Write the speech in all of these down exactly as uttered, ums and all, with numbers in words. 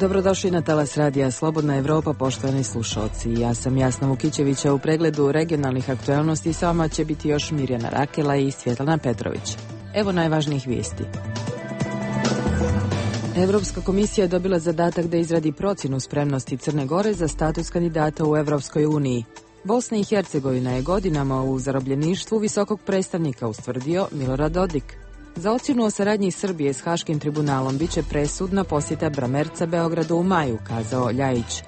Dobrodošli na talas radija Slobodna Evropa, poštovani slušalci. Ja sam Jasna Vukićevića. U pregledu regionalnih aktualnosti s vama će biti još Mirjana Rakela i Svjetlana Petrović. Evo najvažnijih vijesti. Evropska komisija je dobila zadatak da izradi procjenu spremnosti Crne Gore za status kandidata u Evropskoj uniji. Bosna i Hercegovina je godinama u zarobljeništvu visokog predstavnika ustvrdio Milorad Dodik. Za ocjenu o saradnji Srbije s Haškim tribunalom biće presudna posjeta Bramerca Beogradu u maju, kazao Ljajić.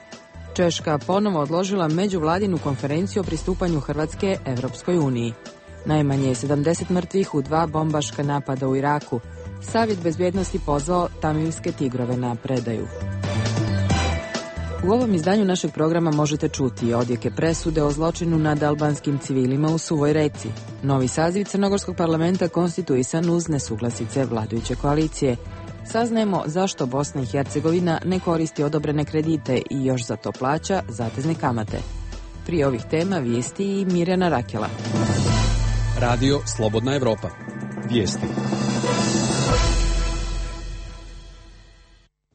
Češka ponovo odložila međuvladinu konferenciju o pristupanju Hrvatske Evropskoj uniji. Najmanje je sedamdeset mrtvih u dva bombaška napada u Iraku. Savjet bezbjednosti pozvao tamilske tigrove na predaju. U ovom izdanju našeg programa možete čuti odjeke presude o zločinu nad albanskim civilima u Suvoj Reci. Novi saziv Crnogorskog parlamenta konstituisan uz nesuglasice vladajuće koalicije. Saznajemo zašto Bosna i Hercegovina ne koristi odobrene kredite i još za to plaća zatezne kamate. Prije ovih tema vijesti i Mirjana Rakela. Radio Slobodna Evropa. Vijesti.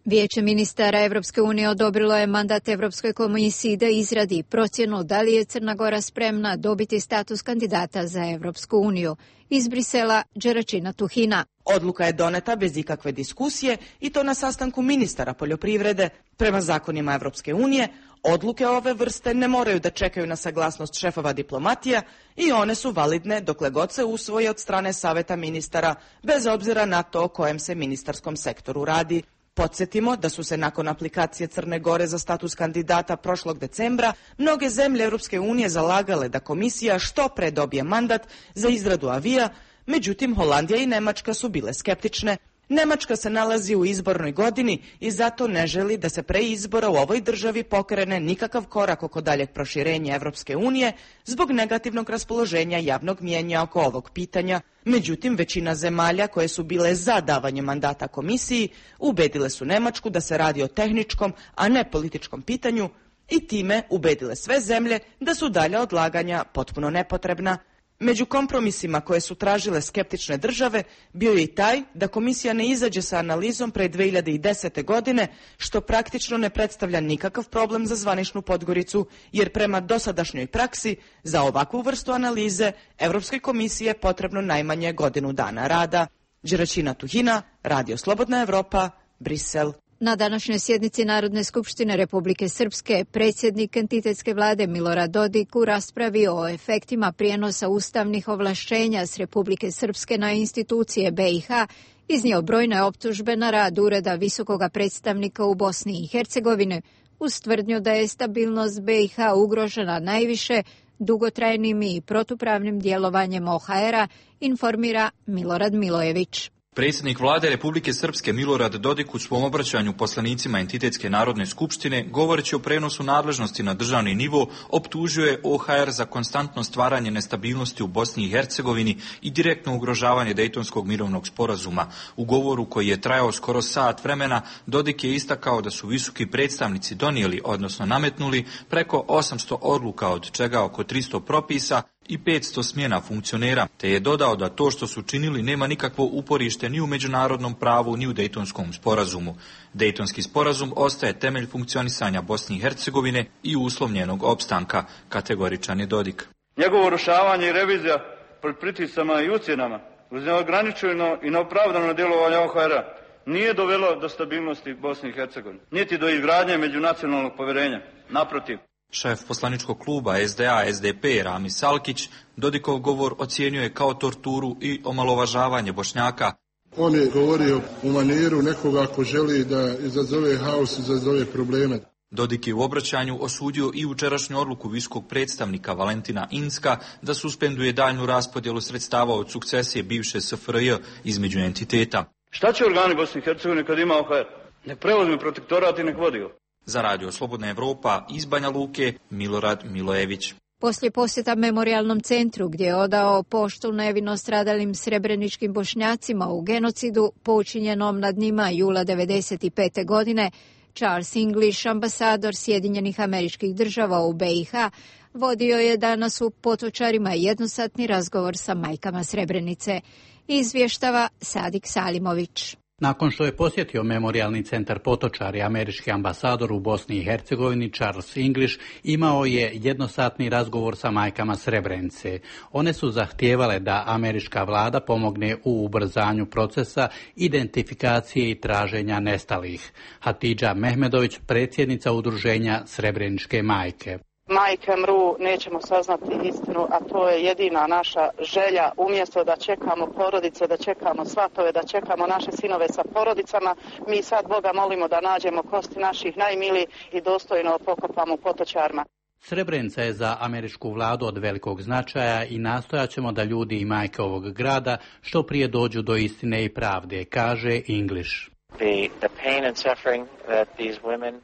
Vijeće ministara Evropske unije odobrilo je mandat Evropskoj komisiji da izradi procjenu da li je Crna Gora spremna dobiti status kandidata za Evropsku uniju. Iz Brisela, Đeračina Tuhina. Odluka je doneta bez ikakve diskusije i to na sastanku ministara poljoprivrede. Prema zakonima Evropske unije, odluke ove vrste ne moraju da čekaju na saglasnost šefova diplomatija i one su validne dokle god se usvoje od strane Saveta ministara, bez obzira na to o kojem se ministarskom sektoru radi. Podsjetimo da su se nakon aplikacije Crne Gore za status kandidata prošlog decembra mnoge zemlje Europske unije zalagale da komisija što pre dobije mandat za izradu avija, međutim Holandija i Nemačka su bile skeptične. Nemačka se nalazi u izbornoj godini i zato ne želi da se pre izbora u ovoj državi pokrene nikakav korak oko daljeg proširenja Evropske unije zbog negativnog raspoloženja javnog mijenja oko ovog pitanja. Međutim, većina zemalja koje su bile za davanje mandata komisiji ubedile su Nemačku da se radi o tehničkom, a ne političkom pitanju i time ubedile sve zemlje da su dalja odlaganja potpuno nepotrebna. Među kompromisima koje su tražile skeptične države bio je i taj da komisija ne izađe sa analizom pre dve hiljade desete. godine, što praktično ne predstavlja nikakav problem za zvaničnu Podgoricu, jer prema dosadašnjoj praksi za ovakvu vrstu analize Evropskoj komisiji je potrebno najmanje godinu dana rada. Đeračina Tuhina, Radio Slobodna Evropa, Brisel. Na današnjoj sjednici Narodne skupštine Republike Srpske predsjednik entitetske vlade Milorad Dodik u raspravi o efektima prijenosa ustavnih ovlašćenja s Republike Srpske na institucije be i ha iznio brojne optužbe na rad Ureda visokoga predstavnika u Bosni i Hercegovini uz tvrdnju da je stabilnost be i ha ugrožena najviše dugotrajnim i protupravnim djelovanjem o ha era, informira Milorad Milojević. Predsjednik vlade Republike Srpske Milorad Dodik u svom obraćanju poslanicima entitetske Narodne skupštine, govoreći o prenosu nadležnosti na državni nivo, optužio je o ha er za konstantno stvaranje nestabilnosti u Bosni i Hercegovini i direktno ugrožavanje Dejtonskog mirovnog sporazuma. U govoru koji je trajao skoro sat vremena, Dodik je istakao da su visoki predstavnici donijeli, odnosno nametnuli, preko osamsto odluka, od čega oko tristo propisa i petsto smjena funkcionera, te je dodao da to što su činili nema nikakvo uporište ni u međunarodnom pravu ni u Dejtonskom sporazumu. Dejtonski sporazum ostaje temelj funkcionisanja Bosne i Hercegovine i uslov njenog opstanka, kategoričan je Dodik. Njegovo urušavanje i revizija pod pritiscama i ucjenama uz neograničeno i neopravdano djelovanje o ha era nije dovelo do stabilnosti Bosne i Hercegovine, niti do izgradnje međunacionalnog povjerenja. Naprotiv. Šef poslaničkog kluba es de a es de pe Rami Salkić Dodikov govor ocijenjuje kao torturu i omalovažavanje Bošnjaka. On je govorio u maniru nekoga ko želi da izazove haos, izazove probleme. Dodik je u obraćanju osudio i jučerašnju odluku visokog predstavnika Valentina Inzka da suspenduje daljnju raspodjelu sredstava od sukcesije bivše es ef er je između entiteta. Šta će organi Bosne i Hercegovine kad ima o ha er? Nek preuzme protektorat i nek vodi ga. Za Radio Slobodna Evropa iz Banja Luke, Milorad Milojević. Poslije posjeta memorijalnom centru gdje je odao poštu nevino stradalim srebreničkim Bošnjacima u genocidu počinjenom nad njima jula devedeset pete. godine, Charles English, ambasador Sjedinjenih Američkih Država u be i ha, vodio je danas u Potočarima jednosatni razgovor sa majkama Srebrenice. Izvještava Sadik Salimović. Nakon što je posjetio memorijalni centar Potočari, američki ambasador u Bosni i Hercegovini Charles English imao je jednosatni razgovor sa majkama Srebrenice. One su zahtijevale da američka vlada pomogne u ubrzanju procesa identifikacije i traženja nestalih. Hatidža Mehmedović, predsjednica udruženja Srebreničke majke. Majke mru, nećemo saznati istinu, a to je jedina naša želja. Umjesto da čekamo porodice, da čekamo svatove, da čekamo naše sinove sa porodicama, mi sad Boga molimo da nađemo kosti naših najmilijih i dostojno pokopamo u Potočarima. Srebrenica je za američku vladu od velikog značaja i nastojat ćemo da ljudi i majke ovog grada što prije dođu do istine i pravde, kaže English.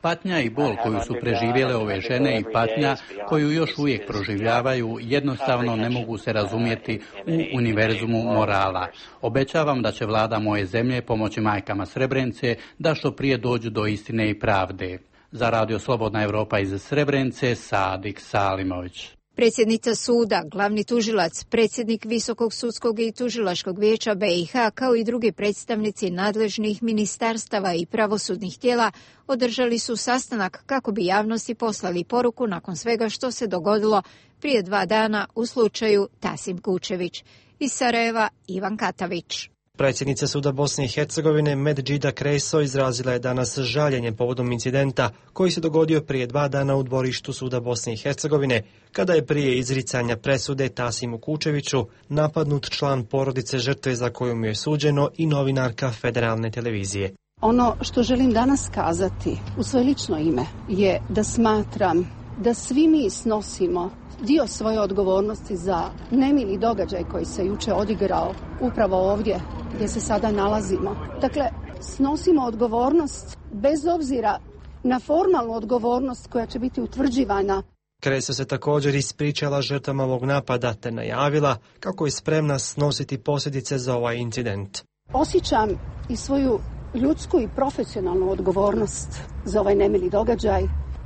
Patnja i bol koju su preživjele ove žene i patnja koju još uvijek proživljavaju jednostavno ne mogu se razumjeti u univerzumu morala. Obećavam da će vlada moje zemlje pomoći majkama Srebrenice da što prije dođu do istine i pravde. Za Radio Slobodna Evropa iz Srebrenice, Sadik Salimović. Predsjednica suda, glavni tužilac, predsjednik Visokog sudskog i tužilačkog vijeća B i H, kao i drugi predstavnici nadležnih ministarstava i pravosudnih tijela održali su sastanak kako bi javnosti poslali poruku nakon svega što se dogodilo prije dva dana u slučaju Tasim Kučević. Iz Sarajeva, Ivan Katavić. Predsjednica suda Bosne i Hercegovine Medžida Kreso izrazila je danas žaljenje povodom incidenta koji se dogodio prije dva dana u dvorištu suda Bosne i Hercegovine, kada je prije izricanja presude Tasimu Kučeviću napadnut član porodice žrtve za koju mu je suđeno i novinarka Federalne televizije. Ono što želim danas kazati u svoje lično ime je da smatram da svi mi snosimo dio svoje odgovornosti za nemili događaj koji se juče odigrao upravo ovdje gdje se sada nalazimo. Dakle, snosimo odgovornost bez obzira na formalnu odgovornost koja će biti utvrđivana. Kreso se također ispričala žrtvama ovog napada te najavila kako je spremna snositi posljedice za ovaj incident. Osjećam i svoju ljudsku i profesionalnu odgovornost za ovaj nemili događaj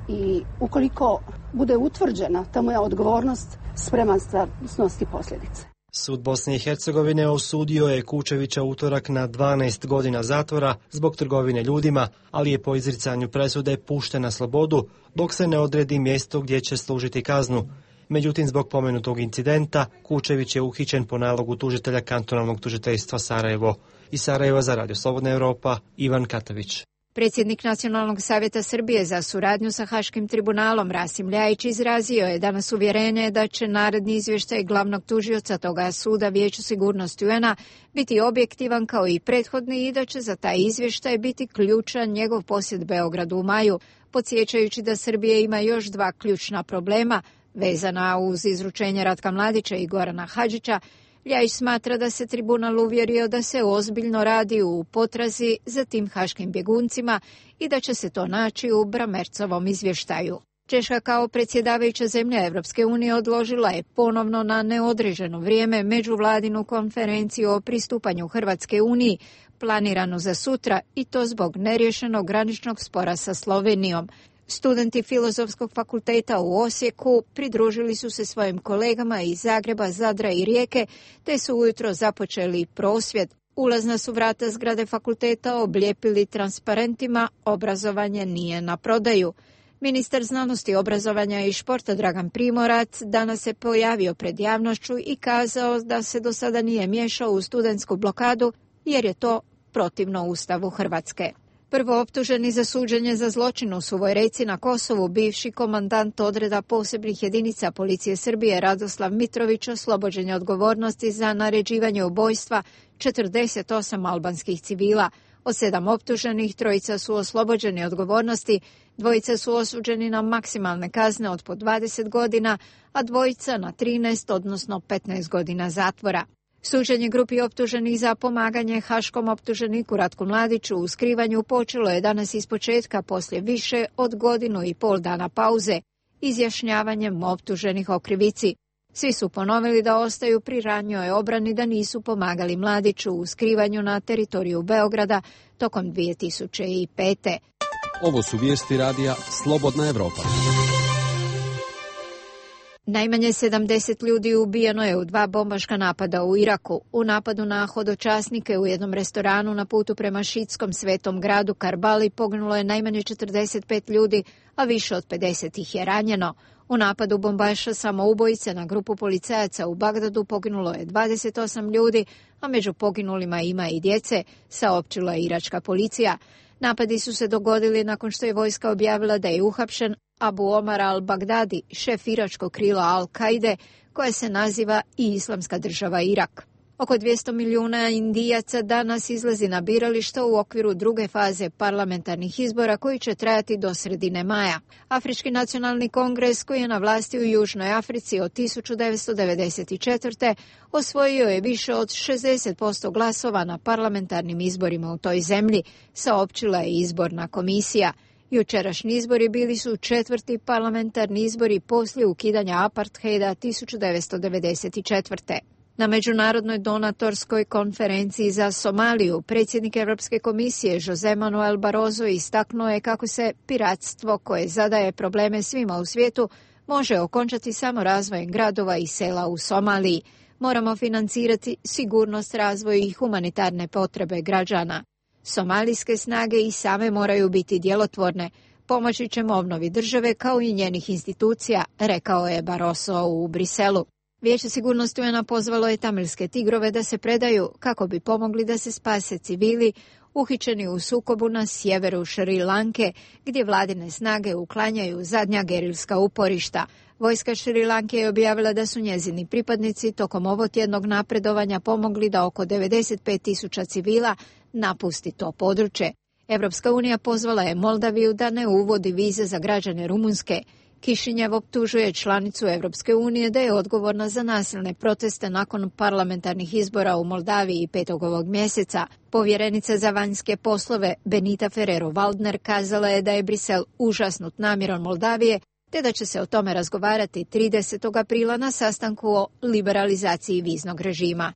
i ukoliko bude utvrđena ta moja odgovornost, spreman sam snositi posljedice. Sud Bosne i Hercegovine osudio je Kučevića utorak na dvanaest godina zatvora zbog trgovine ljudima, ali je po izricanju presude pušten na slobodu dok se ne odredi mjesto gdje će služiti kaznu. Međutim, zbog pomenutog incidenta, Kučević je uhićen po nalogu tužitelja kantonalnog tužiteljstva Sarajevo. Iz Sarajeva za Radio Slobodna Evropa, Ivan Katavić. Predsjednik Nacionalnog savjeta Srbije za suradnju sa Haškim tribunalom Rasim Ljajić izrazio je danas uvjerenje da će naredni izvještaj glavnog tužioca toga suda Vijeću sigurnosti U N A biti objektivan kao i prethodni i da će za taj izvještaj biti ključan njegov posjet Beogradu u maju, podsjećajući da Srbija ima još dva ključna problema vezana uz izručenje Ratka Mladića i Gorana Hadžića. Ljajić smatra da se tribunal uvjerio da se ozbiljno radi u potrazi za tim haškim bjeguncima i da će se to naći u Bramercovom izvještaju. Češka kao predsjedavajuća zemlja Evropske unije odložila je ponovno na neodređeno vrijeme međuvladinu konferenciju o pristupanju Hrvatske uniji, planiranu za sutra, i to zbog neriješenog graničnog spora sa Slovenijom. Studenti Filozofskog fakulteta u Osijeku pridružili su se svojim kolegama iz Zagreba, Zadra i Rijeke, te su ujutro započeli prosvjed. Ulazna su vrata zgrade fakulteta oblijepili transparentima "Obrazovanje nije na prodaju". Ministar znanosti, obrazovanja i športa Dragan Primorac danas se pojavio pred javnošću i kazao da se do sada nije miješao u studentsku blokadu jer je to protivno Ustavu Hrvatske. Prvo optuženi za suđenje za zločin u Suvoj Reci na Kosovu, bivši komandant odreda posebnih jedinica policije Srbije Radoslav Mitrović oslobođen je odgovornosti za naređivanje ubojstva četrdeset osam albanskih civila. Od sedam optuženih trojica su oslobođeni odgovornosti, dvojica su osuđeni na maksimalne kazne od po dvadeset godina, a dvojica na trinaest, odnosno petnaest godina zatvora. Suđenje grupi optuženih za pomaganje haškom optuženiku Ratku Mladiću u skrivanju počelo je danas ispočetka poslije više od godinu i pol dana pauze, izjašnjavanjem optuženih o krivici. Svi su ponovili da ostaju pri ranjoj obrani da nisu pomagali Mladiću u skrivanju na teritoriju Beograda tokom dvije tisuće pete. Ovo su vijesti radija Slobodna Evropa. Najmanje sedamdeset ljudi ubijeno je u dva bombaška napada u Iraku. U napadu na hodočasnike u jednom restoranu na putu prema šiitskom svetom gradu Karbali poginulo je najmanje četrdeset pet ljudi, a više od pedeset ih je ranjeno. U napadu bombaša samoubojice na grupu policajaca u Bagdadu poginulo je dvadeset osam ljudi, a među poginulima ima i djece, saopćila je iračka policija. Napadi su se dogodili nakon što je vojska objavila da je uhapšen Abu Omar al-Baghdadi, šef iračkog krila Al-Kaide, koje se naziva i Islamska država Irak. Oko dvjesto milijuna Indijaca danas izlazi na birališta u okviru druge faze parlamentarnih izbora koji će trajati do sredine maja. Afrički nacionalni kongres, koji je na vlasti u Južnoj Africi od tisuću devetsto devedeset četvrte. osvojio je više od šezdeset posto glasova na parlamentarnim izborima u toj zemlji, saopćila je izborna komisija. Jučerašnji izbori bili su četvrti parlamentarni izbori poslije ukidanja apartheida tisuću devetsto devedeset četvrte. Na međunarodnoj donatorskoj konferenciji za Somaliju predsjednik Europske komisije Jose Manuel Barroso istaknuo je kako se piratstvo, koje zadaje probleme svima u svijetu, može okončati samo razvojem gradova i sela u Somaliji. Moramo financirati sigurnost, razvoj i humanitarne potrebe građana. Somalijske snage i same moraju biti djelotvorne. Pomoći ćemo obnovi države kao i njenih institucija, rekao je Barroso u Briselu. Vijeće sigurnosti U N-a pozvalo je tamilske tigrove da se predaju kako bi pomogli da se spase civili uhićeni u sukobu na sjeveru Šri Lanke, gdje vladine snage uklanjaju zadnja gerilska uporišta. Vojska Šri Lanke je objavila da su njezini pripadnici tokom ovotjednog napredovanja pomogli da oko devedeset pet tisuća civila napusti to područje. Europska unija pozvala je Moldaviju da ne uvodi vize za građane Rumunjske. Kišinjev optužuje članicu Europske unije da je odgovorna za nasilne proteste nakon parlamentarnih izbora u Moldaviji petog ovog mjeseca. Povjerenica za vanjske poslove Benita Ferrero-Waldner kazala je da je Brisel užasnut namjerom Moldavije, te da će se o tome razgovarati tridesetog aprila na sastanku o liberalizaciji viznog režima.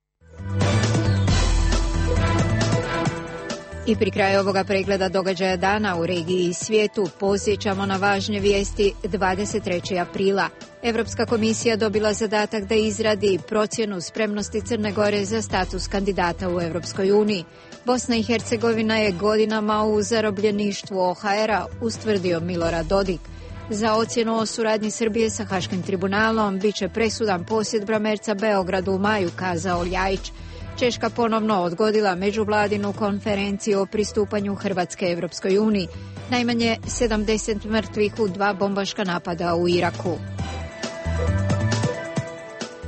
I pri kraju ovoga pregleda događaja dana u regiji i svijetu podsjećamo na važne vijesti dvadeset trećeg aprila. Europska komisija dobila zadatak da izradi procjenu spremnosti Crne Gore za status kandidata u Europskoj uniji. Bosna i Hercegovina je godinama u zarobljeništvu O H R-a, ustvrdio Milorad Dodik. Za ocjenu o suradnji Srbije sa Haškim tribunalom bit će presudan posjet Bramerca Beogradu u maju, kazao Ljajić. Češka ponovno odgodila međuvladinu konferenciju o pristupanju Hrvatske Europskoj uniji. Najmanje sedamdeset mrtvih u dva bombaška napada u Iraku.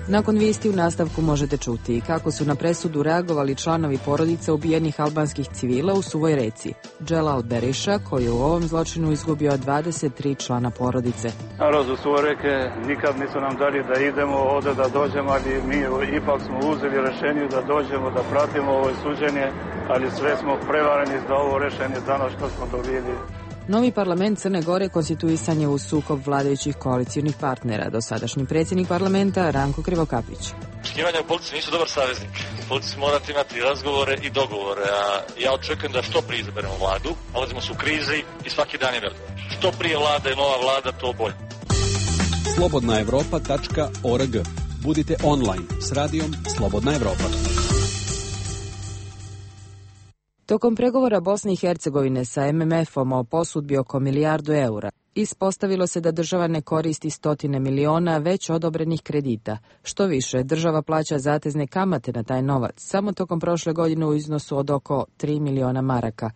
Nakon vijesti u nastavku možete čuti kako su na presudu reagovali članovi porodice ubijenih albanskih civila u Suvoj Reci. Dželal Beriša, koji je u ovom zločinu izgubio dvadeset tri člana porodice. Narod u Suvoj Reke nikad nisu nam dali da idemo ovdje da dođemo, ali mi ipak smo uzeli rješenje da dođemo, da pratimo ovo suđenje, ali sve smo prevareni za ovo rješenje danas što smo dobili. Novi parlament Crne Gore konstituisan je u sukob vladajućih koalicijnih partnera. Dosadašnji predsjednik parlamenta Ranko Krivokapić. Uštkivanja u politici nisu dobar saveznik. U politici morate imati razgovore i dogovore, a ja očekujem da što prije izaberemo vladu. Nalazimo se u krizi i svaki dan je velik. Što prije vlada i nova vlada, to bolje. slobodna evropa tačka org. Budite online s radijom Slobodna Evropa. Tokom pregovora Bosne i Hercegovine sa M M F-om o posudbi oko milijardu eura, ispostavilo se da država ne koristi stotine miliona već odobrenih kredita. Što više, država plaća zatezne kamate na taj novac, samo tokom prošle godine u iznosu od oko tri miliona maraka.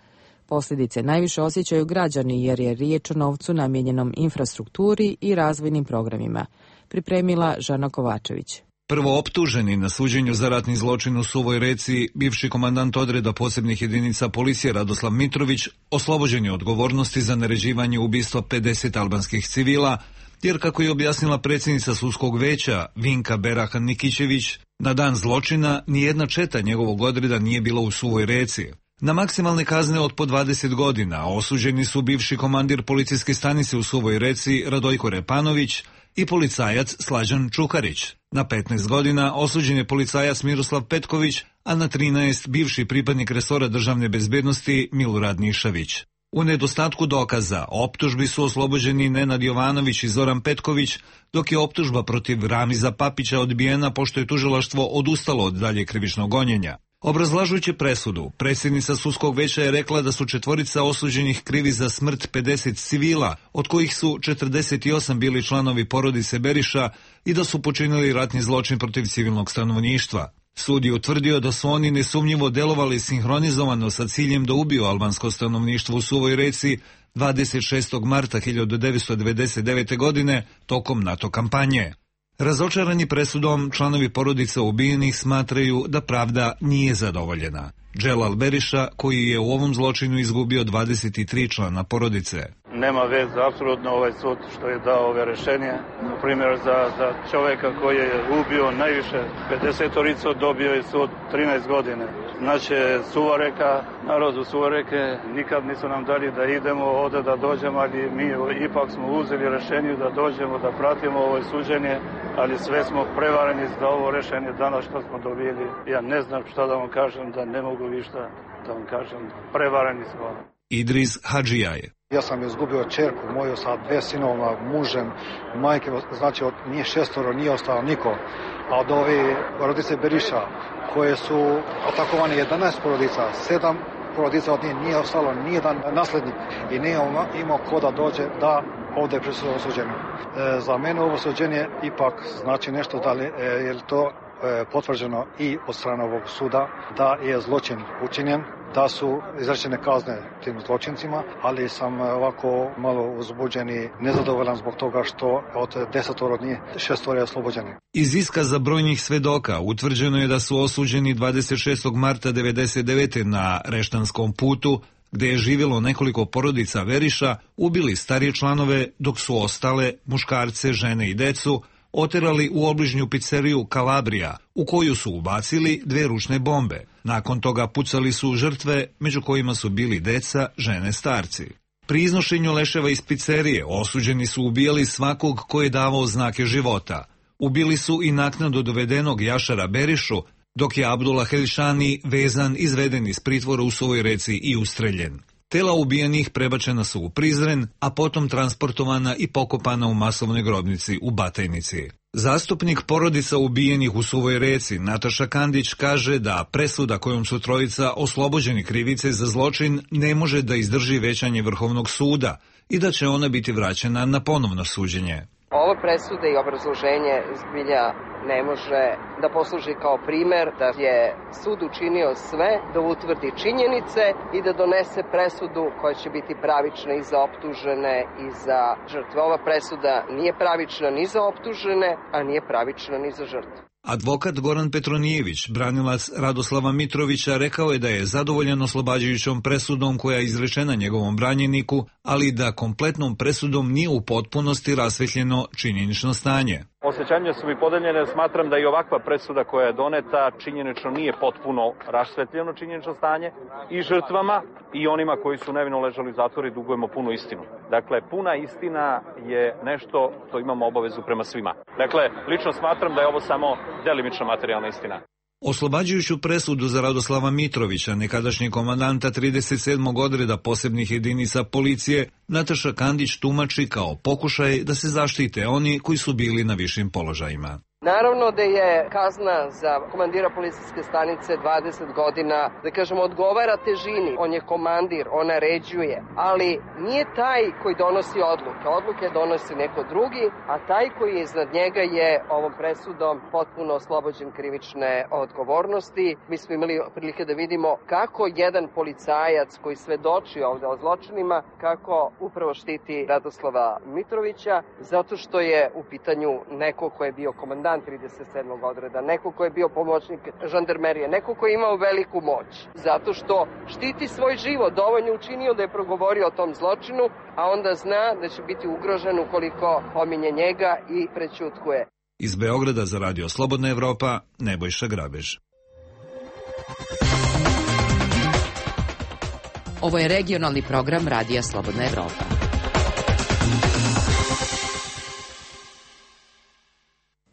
Posljedice najviše osjećaju građani jer je riječ o novcu namijenjenom infrastrukturi i razvojnim programima. Pripremila Žana Kovačević. Prvo optuženi na suđenju za ratni zločin u Suvoj Reci, bivši komandant odreda posebnih jedinica policije Radoslav Mitrović, oslobođen je odgovornosti za naređivanje ubistva pedeset albanskih civila, jer kako je objasnila predsjednica sudskog veća Vinka Berahan Nikićević, na dan zločina nijedna četa njegovog odreda nije bila u Suvoj Reci. Na maksimalne kazne od po dvadeset godina osuđeni su bivši komandir policijske stanice u Suvoj Reci Radojko Repanović i policajac Slađan Čukarić. Na petnaest godina osuđen je policajac Miroslav Petković, a na trinaest bivši pripadnik resora državne bezbednosti Milorad Nišavić. U nedostatku dokaza, optužbi su oslobođeni Nenad Jovanović i Zoran Petković, dok je optužba protiv Ramiza Papića odbijena pošto je tužilaštvo odustalo od dalje krivičnog gonjenja. Obrazlažujući presudu, predsjednica sudskog veća je rekla da su četvorica osuđenih krivi za smrt pedeset civila, od kojih su četrdeset osam bili članovi porodice Beriša i da su počinili ratni zločin protiv civilnog stanovništva. Sud je utvrdio da su oni nesumnjivo delovali sinhronizovano sa ciljem da ubiju albansko stanovništvo u Suvoj Reci dvadeset šestog marta hiljadu devetsto devedeset devete. godine tokom NATO kampanje. Razočarani presudom, članovi porodica ubijenih smatraju da pravda nije zadovoljena. Dželal Beriša, koji je u ovom zločinu izgubio dvadeset tri člana porodice. Nema veze, apsolutno ovaj sud što je dao ove rešenje. Na primjer, za, za čovjeka koji je ubio najviše pedesetoricu, dobio je sud trinaest godine. Znači, Suvoreka, narodu Suvoreke, nikad nisu nam dali da idemo ovdje da dođemo, ali mi ipak smo uzeli rešenje da dođemo, da pratimo ovo suđenje, ali sve smo prevareni za ovo rešenje danas što smo dobili. Ja ne znam šta da vam kažem, da ne mogu višta da vam kažem, prevareni smo. Idris Hadžijaje. Ja sam izgubio čerku moju sa dve sinovima, mužem, majke, znači od nije šestoro, nije ostalo niko. A od ove porodice Beriša, koje su atakovane jedanaest porodica, sedam porodica od njih nije ostalo nijedan naslednik i nije imao ko da dođe da ovdje prisutno osuđenje. E, za mene ovo osuđenje ipak znači nešto da li e, je to e, potvrđeno i od strane ovog suda da je zločin učinjen, da su izrečene kazne tim zločincima, ali sam ovako malo uzbuđen i nezadovoljan zbog toga što od desetoro od njih šestoro je oslobođeni. Iz iskaza brojnih svedoka utvrđeno je da su osuđeni dvadeset šestog marta devedeset devete. na Reštanskom putu, gde je živjelo nekoliko porodica Veriša, ubili starije članove, dok su ostale, muškarce, žene i decu, oterali u obližnju pizzeriju Kalabrija, u koju su ubacili dve ručne bombe. Nakon toga pucali su žrtve, među kojima su bili deca, žene, starci. Pri iznošenju leševa iz pizzerije osuđeni su ubijali svakog ko je davao znake života. Ubili su i naknadno dovedenog Jašara Berišu, dok je Abdullah Helšani vezan, izveden iz pritvora u Suvoj Reci i ustreljen. Tela ubijenih prebačena su u Prizren, a potom transportovana i pokopana u masovnoj grobnici u Batajnici. Zastupnik porodica ubijenih u Suvoj Reci, Nataša Kandić, kaže da presuda kojom su trojica oslobođeni krivice za zločin ne može da izdrži većanje Vrhovnog suda i da će ona biti vraćena na ponovno suđenje. Ova presuda i obrazloženje zbilja ne može da posluži kao primer da je sud učinio sve da utvrdi činjenice i da donese presudu koja će biti pravična i za optužene i za žrtve. Ova presuda nije pravična ni za optužene, a nije pravična ni za žrtve. Advokat Goran Petronijević, branilac Radoslava Mitrovića, rekao je da je zadovoljan oslobađajućom presudom koja je izrečena njegovom branjeniku, ali da kompletnom presudom nije u potpunosti rasvetljeno činjenično stanje. Osjećanja su mi podeljene, smatram da i ovakva presuda koja je doneta činjenično nije potpuno rasvetljeno činjenično stanje i žrtvama i onima koji su nevino ležali u zatvoru i dugujemo punu istinu. Dakle, puna istina je nešto što imamo obavezu prema svima. Dakle, lično smatram da je ovo samo delimična materijalna istina. Oslobađajuću presudu za Radoslava Mitrovića, nekadašnjeg komandanta trideset sedmog odreda posebnih jedinica policije, Nataša Kandić tumači kao pokušaj da se zaštite oni koji su bili na višim položajima. Naravno da je kazna za komandira policijske stanice dvadeset godina, da kažemo, odgovara težini. On je komandir, on naređuje, ali nije taj koji donosi odluke. Odluke donosi neko drugi, a taj koji je iznad njega je ovom presudom potpuno oslobođen krivične odgovornosti. Mi smo imali prilike da vidimo kako jedan policajac koji svedoči ovde o zločinima, kako upravo štiti Radoslava Mitrovića, zato što je u pitanju neko ko je bio komandant trideset sedmog odreda, neko ko je bio pomoćnik žandarmerije, neko ko je imao veliku moć, zato što štiti svoj život, dovoljno učinio da je progovorio o tom zločinu, a onda zna da će biti ugrožen ukoliko pominje njega i prećutkuje. Iz Beograda za Radio Slobodna Evropa, Nebojša Grabež. Ovo je regionalni program Radija Slobodna Evropa.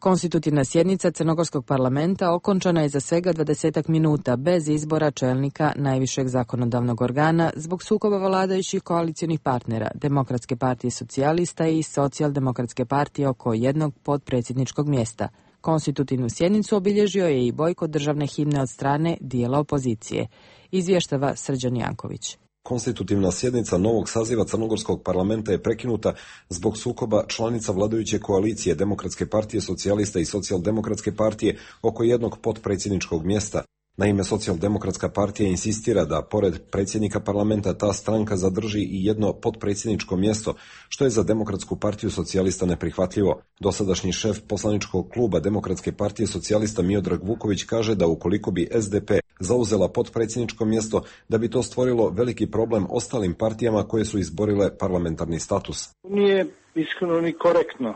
Konstitutivna sjednica Crnogorskog parlamenta okončana je za svega dvadesetak minuta bez izbora čelnika najvišeg zakonodavnog organa zbog sukoba vladajućih koalicionih partnera Demokratske partije socijalista i Socijaldemokratske partije oko jednog potpredsjedničkog mjesta. Konstitutivnu sjednicu obilježio je i bojkot državne himne od strane dijela opozicije, izvještava Srđan Janković. Konstitutivna sjednica novog saziva Crnogorskog parlamenta je prekinuta zbog sukoba članica vladajuće koalicije Demokratske partije socijalista i Socijaldemokratske partije oko jednog potpredsjedničkog mjesta. Naime, Socijaldemokratska partija insistira da, pored predsjednika parlamenta, ta stranka zadrži i jedno potpredsjedničko mjesto, što je za Demokratsku partiju socijalista neprihvatljivo. Dosadašnji šef poslaničkog kluba Demokratske partije socijalista Miodrag Vuković kaže da ukoliko bi S D P zauzela potpredsjedničko mjesto, da bi to stvorilo veliki problem ostalim partijama koje su izborile parlamentarni status. Nije iskreno ni korektno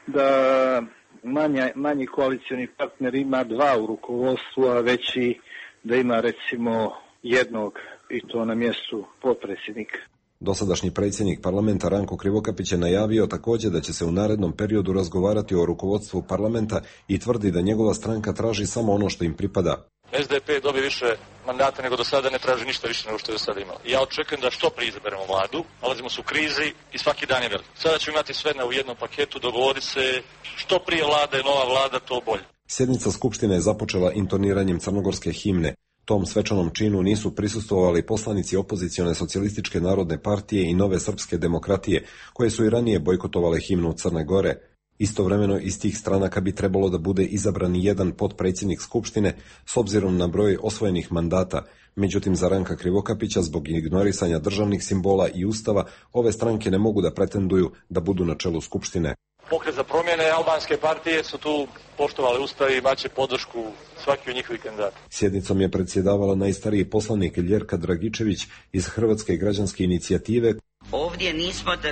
da Manja, manji koalicioni partner ima dva u rukovodstvu, a veći da ima recimo jednog i to na mjestu potpredsjednika. Dosadašnji predsjednik parlamenta Ranko Krivokapić je najavio također da će se u narednom periodu razgovarati o rukovodstvu parlamenta i tvrdi da njegova stranka traži samo ono što im pripada. S D P dobije više mandata nego do sada, ne traži ništa više nego što je do sada imao. Ja očekujem da što prije izaberemo vladu, nalazimo se u krizi i svaki dan je velik. Sada ćemo imati sve u jednom paketu, dogovoriti se što prije vlada i nova vlada, to bolje. Sjednica Skupštine je započela intoniranjem crnogorske himne. Tom svečanom činu nisu prisustvovali poslanici opozicione socijalističke narodne partije i Nove srpske demokratije, koje su i ranije bojkotovale himnu Crne Gore. Istovremeno iz tih stranaka bi trebalo da bude izabran jedan potpredsjednik Skupštine s obzirom na broj osvojenih mandata. Međutim, za Ranka Krivokapića, zbog ignorisanja državnih simbola i ustava, ove stranke ne mogu da pretenduju da budu na čelu Skupštine. Pokret za promjene albanske partije su tu poštovali ustav i imaće podršku svaki od njihovih kandidata. Sjednicom je predsjedavala najstariji poslanik Ljerka Dragičević iz Hrvatske građanske inicijative. Ovdje nismo da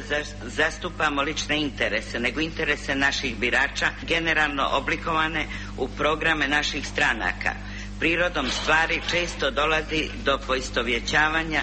zastupamo lične interese, nego interese naših birača, generalno oblikovane u programe naših stranaka. Prirodom stvari često dolazi do poistovjećavanja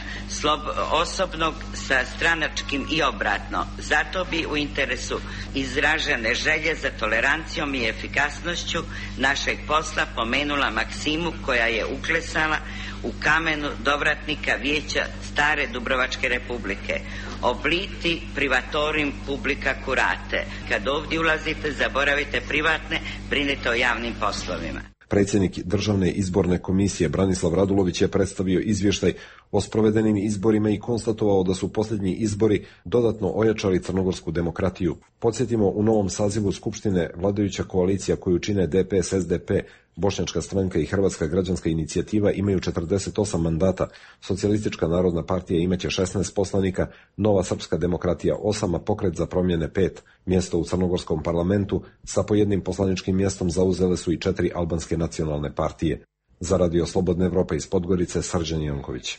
osobnog sa stranačkim i obratno. Zato bi u interesu izražene želje za tolerancijom i efikasnošću našeg posla pomenula maksimu koja je uklesala u kamenu dovratnika vijeća stare Dubrovačke republike. Obliti privatorim publica curate. Kad ovdje ulazite, zaboravite privatne, brinite o javnim poslovima. Predsjednik Državne izborne komisije Branislav Radulović je predstavio izvještaj o sprovedenim izborima i konstatovao da su posljednji izbori dodatno ojačali crnogorsku demokratiju. Podsjetimo, u novom sazivu Skupštine vladajuća koalicija koju čine D P S, S D P, Bošnjačka stranka i Hrvatska građanska inicijativa imaju četrdeset osam mandata, Socijalistička narodna partija imaće šesnaest poslanika, Nova srpska demokratija osam, a Pokret za promjene pet. Mjesto u crnogorskom parlamentu sa po jednim poslaničkim mjestom zauzele su i četiri albanske nacionalne partije. Za Radio Slobodne Evrope iz Podgorice, Srđan Janković.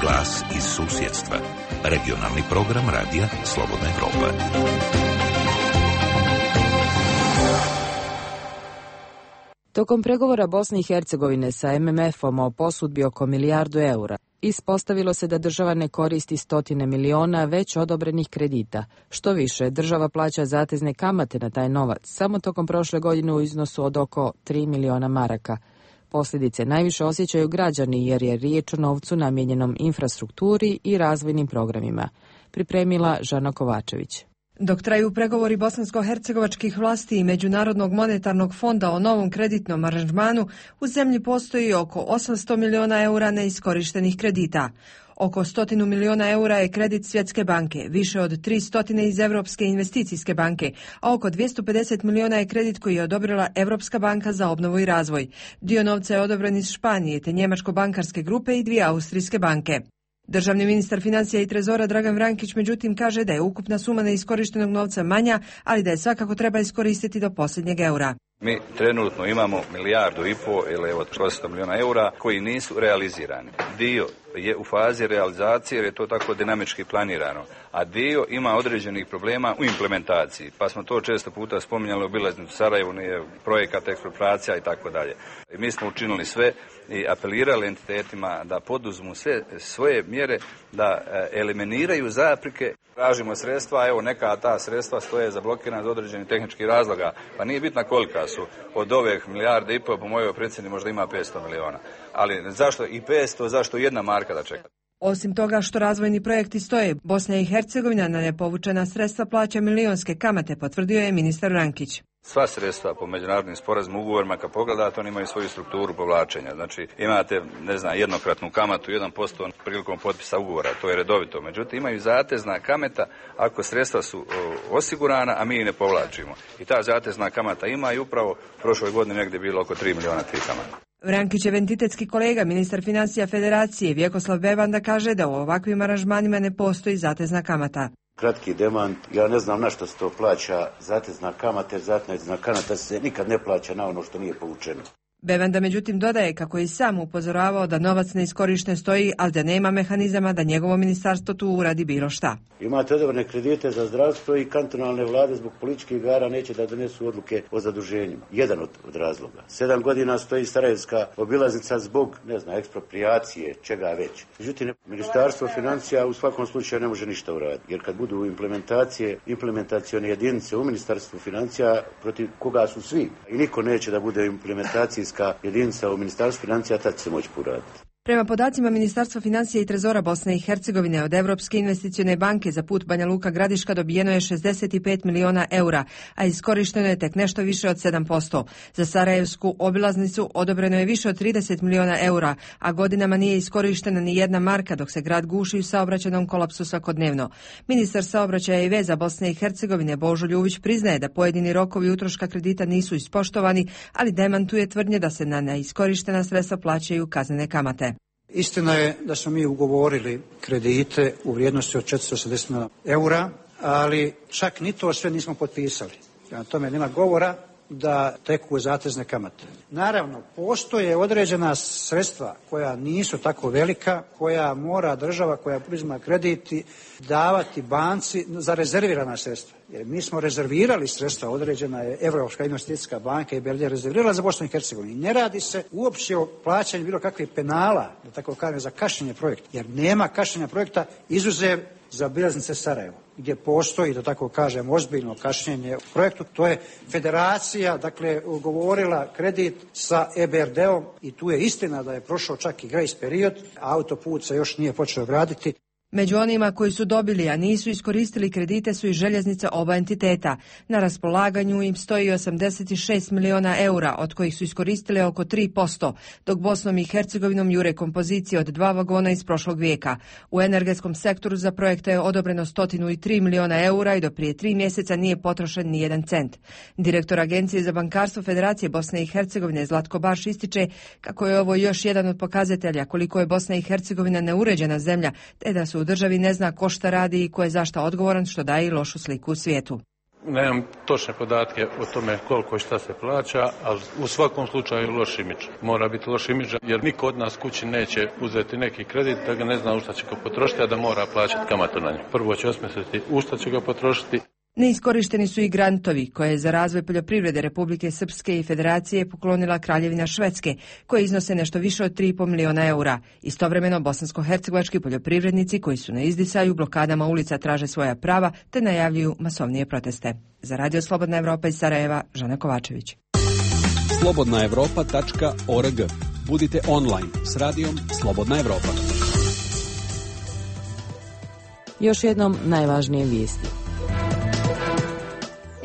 Glas iz susjedstva. Regionalni program Radija Slobodna Evropa. Tokom pregovora Bosne i Hercegovine sa M M F-om o posudbi oko milijardu eura, ispostavilo se da država ne koristi stotine miliona već odobrenih kredita. Što više, država plaća zatezne kamate na taj novac, samo tokom prošle godine u iznosu od oko tri miliona maraka. Posljedice najviše osjećaju građani jer je riječ o novcu namijenjenom infrastrukturi i razvojnim programima. Pripremila Žana Kovačević. Dok traju pregovori bosansko-hercegovačkih vlasti i Međunarodnog monetarnog fonda o novom kreditnom aranžmanu, u zemlji postoji oko osamsto miliona eura neiskorištenih kredita. Oko stotinu miliona eura je kredit Svjetske banke, više od tristo iz Europske investicijske banke, a oko dvjesto pedeset miliona je kredit koji je odobrila Europska banka za obnovu i razvoj. Dio novca je odobren iz Španije, te Njemačko-bankarske grupe i dvije austrijske banke. Državni ministar financija i trezora Dragan Vrankić međutim kaže da je ukupna suma neiskorištenog novca manja, ali da je svakako treba iskoristiti do posljednjeg eura. Mi trenutno imamo milijardu i po ili evo osamsto miliona eura koji nisu realizirani. Dio je u fazi realizacije jer je to tako dinamički planirano, a dio ima određenih problema u implementaciji, pa smo to često puta spominjali u obilaznicu Sarajevu, nije projekat, ekspropriacija i tako dalje. Mi smo učinili sve i apelirali entitetima da poduzmu sve svoje mjere da eliminiraju zapreke. Tražimo sredstva, evo neka ta sredstva stoje zablokirana iz određenih tehničkih razloga, pa nije bitna kolika su. Od ove milijarde i pol, po mojoj procjeni možda ima petsto miliona. Ali zašto i petsto, zašto jedna marka da čeka? Osim toga što razvojni projekti stoje, Bosna i Hercegovina na nepovučena sredstva plaća milionske kamate, potvrdio je ministar Rankić. Sva sredstva po međunarodnim sporazumima, ugovorima, kad pogledate, oni imaju svoju strukturu povlačenja. Znači, imate, ne znam, jednokratnu kamatu, jedan posto prilikom potpisa ugovora, to je redovito. Međutim, imaju zatezna kamata ako sredstva su o, osigurana, a mi ih ne povlačimo. I ta zatezna kamata ima i upravo prošloj godini negdje je bilo oko tri miliona tih kamata. Vrankićev entitetski kolega, ministar financija Federacije Vjekoslav Bevanda, kaže da u ovakvim aranžmanima ne postoji zatezna kamata. Kratki demant, ja ne znam na što se to plaća zatezna kamata, jer zatezna kamata se nikad ne plaća na ono što nije povučeno. Bevanda međutim dodaje kako je i sam upozoravao da novac neiskorišten stoji, ali da nema mehanizama da njegovo ministarstvo tu uradi bilo šta. Imate odobrene kredite za zdravstvo i kantonalne vlade zbog političkih igara neće da donesu odluke o zaduženjima. Jedan od, od razloga. Sedam godina stoji Sarajevska obilaznica zbog, ne znam, ekspropriacije, čega već. Međutim, ministarstvo financija u svakom slučaju ne može ništa uraditi, jer kad budu implementacije, implementacione jedinice u ministarstvu financija protiv koga su svi i niko neće da bude implementacijska jedinica u ministarstvu financija, tad će se moći poraditi. Prema podacima Ministarstva financija i trezora Bosne i Hercegovine od Evropske investicione banke za put Banja Luka Gradiška dobijeno je šezdeset pet miliona eura, a iskorišteno je tek nešto više od sedam posto. Za Sarajevsku obilaznicu odobreno je više od trideset miliona eura, a godinama nije iskorištena ni jedna marka dok se grad guši u saobraćajnom kolapsu svakodnevno. Ministar saobraćaja i veza Bosne i Hercegovine Božo Ljuvić priznaje da pojedini rokovi utroška kredita nisu ispoštovani, ali demantuje tvrdnje da se na neiskorištena sredstva plaćaju kaznene kamate. Istina je da smo mi ugovorili kredite u vrijednosti od četiristo osamdeset milijuna eura, ali čak ni to sve nismo potpisali. Prema tome nema govora da teku zatezne kamate. Naravno, postoje određena sredstva koja nisu tako velika, koja mora država koja uzima krediti davati banci za rezervirana sredstva. Jer mi smo rezervirali sredstva, određena je Evropska investicijska banka i Belgija rezervirala za Bosnu i Hercegovinu. Ne radi se uopće o plaćanju bilo kakvih penala, da tako kažem, za kašnjenje projekta. Jer nema kašnjenja projekta izuzev za obilaznice Sarajevo, gdje postoji, da tako kažem, ozbiljno kašnjenje u projektu. To je federacija, dakle, ugovorila kredit sa E B R D-om i tu je istina da je prošao čak i grace period, a autoput se još nije počeo graditi. Među onima koji su dobili, a nisu iskoristili kredite su i željeznice oba entiteta. Na raspolaganju im stoji osamdeset šest miliona eura, od kojih su iskoristile oko tri posto, dok Bosnom i Hercegovinom jure kompozicije od dva vagona iz prošlog vijeka. U energetskom sektoru za projekte je odobreno sto tri miliona eura i do prije tri mjeseca nije potrošen ni jedan cent. Direktor Agencije za bankarstvo Federacije Bosne i Hercegovine Zlatko Baš ističe kako je ovo još jedan od pokazatelja koliko je Bosna i Hercegovina neuređena zemlja, te da su u državi ne zna ko šta radi i ko je zašta odgovoran, što daje i lošu sliku u svijetu. Nemam točne podatke o tome koliko i šta se plaća, ali u svakom slučaju loš imidž. Mora biti loš imidž jer niko od nas kući neće uzeti neki kredit da ga ne zna u šta će ga potrošiti, a da mora plaćati kamatu na nju. Prvo će osmisliti u šta će ga potrošiti. Neiskorišteni su i grantovi koje je za razvoj poljoprivrede Republike Srpske i Federacije poklonila Kraljevina Švedske, koje iznose nešto više od tri i pol miliona eura. Istovremeno bosansko-hercegovački poljoprivrednici koji su na izdisaju blokadama ulica traže svoja prava te najavljuju masovnije proteste. Za Radio Slobodna Evropa iz Sarajeva, Žana Kovačević. slobodna evropa tačka org. Budite online s radijom Slobodna Evropa. Još jednom najvažnije vijesti.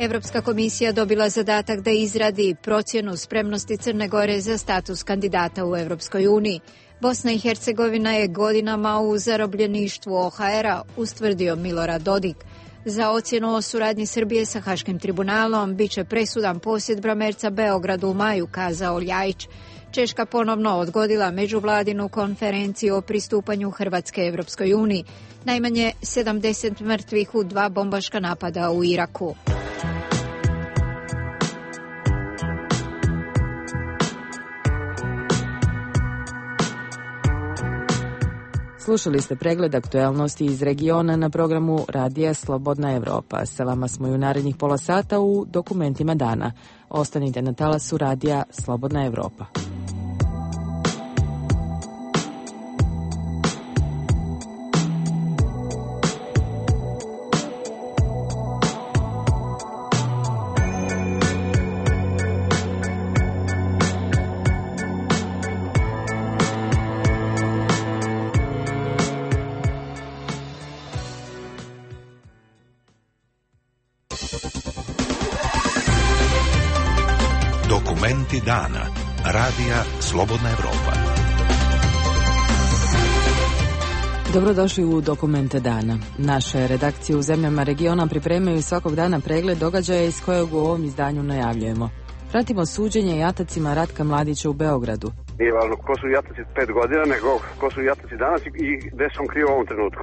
Evropska komisija dobila zadatak da izradi procjenu spremnosti Crne Gore za status kandidata u Evropskoj uniji. Bosna i Hercegovina je godinama u zarobljeništvu O H R-a, ustvrdio Milorad Dodik. Za ocjenu o suradnji Srbije sa Haškim tribunalom biće presudan posjet Bramerca Beogradu u maju, kazao Ljajić. Češka ponovno odgodila međuvladinu konferenciju o pristupanju Hrvatske Evropskoj uniji. Najmanje sedamdeset mrtvih u dva bombaška napada u Iraku. Slušali ste pregled aktuelnosti iz regiona na programu Radija Slobodna Evropa. Sa vama smo i u narednih pola sata u dokumentima dana. Ostanite na talasu Radija Slobodna Evropa. Dokumenti dana. Radija Slobodna Evropa. Dobrodošli u Dokumente dana. Naše redakcije u zemljama regiona pripremaju svakog dana pregled događaja iz kojeg u ovom izdanju najavljujemo. Pratimo suđenje jatacima Ratka Mladića u Beogradu. Nije važno ko su jataci pet godina, nego ko su jataci danas i gde se on krije u ovom trenutku.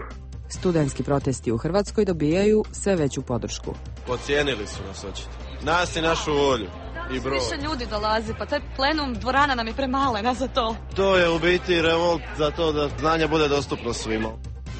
Studentski protesti u Hrvatskoj dobijaju sve veću podršku. Pocijenili su nas očito. Nas i našu volju. I broj. Više ljudi dolazi, pa taj plenum dvorana nam je premalena za to. To je u biti revolt za to da znanje bude dostupno svima.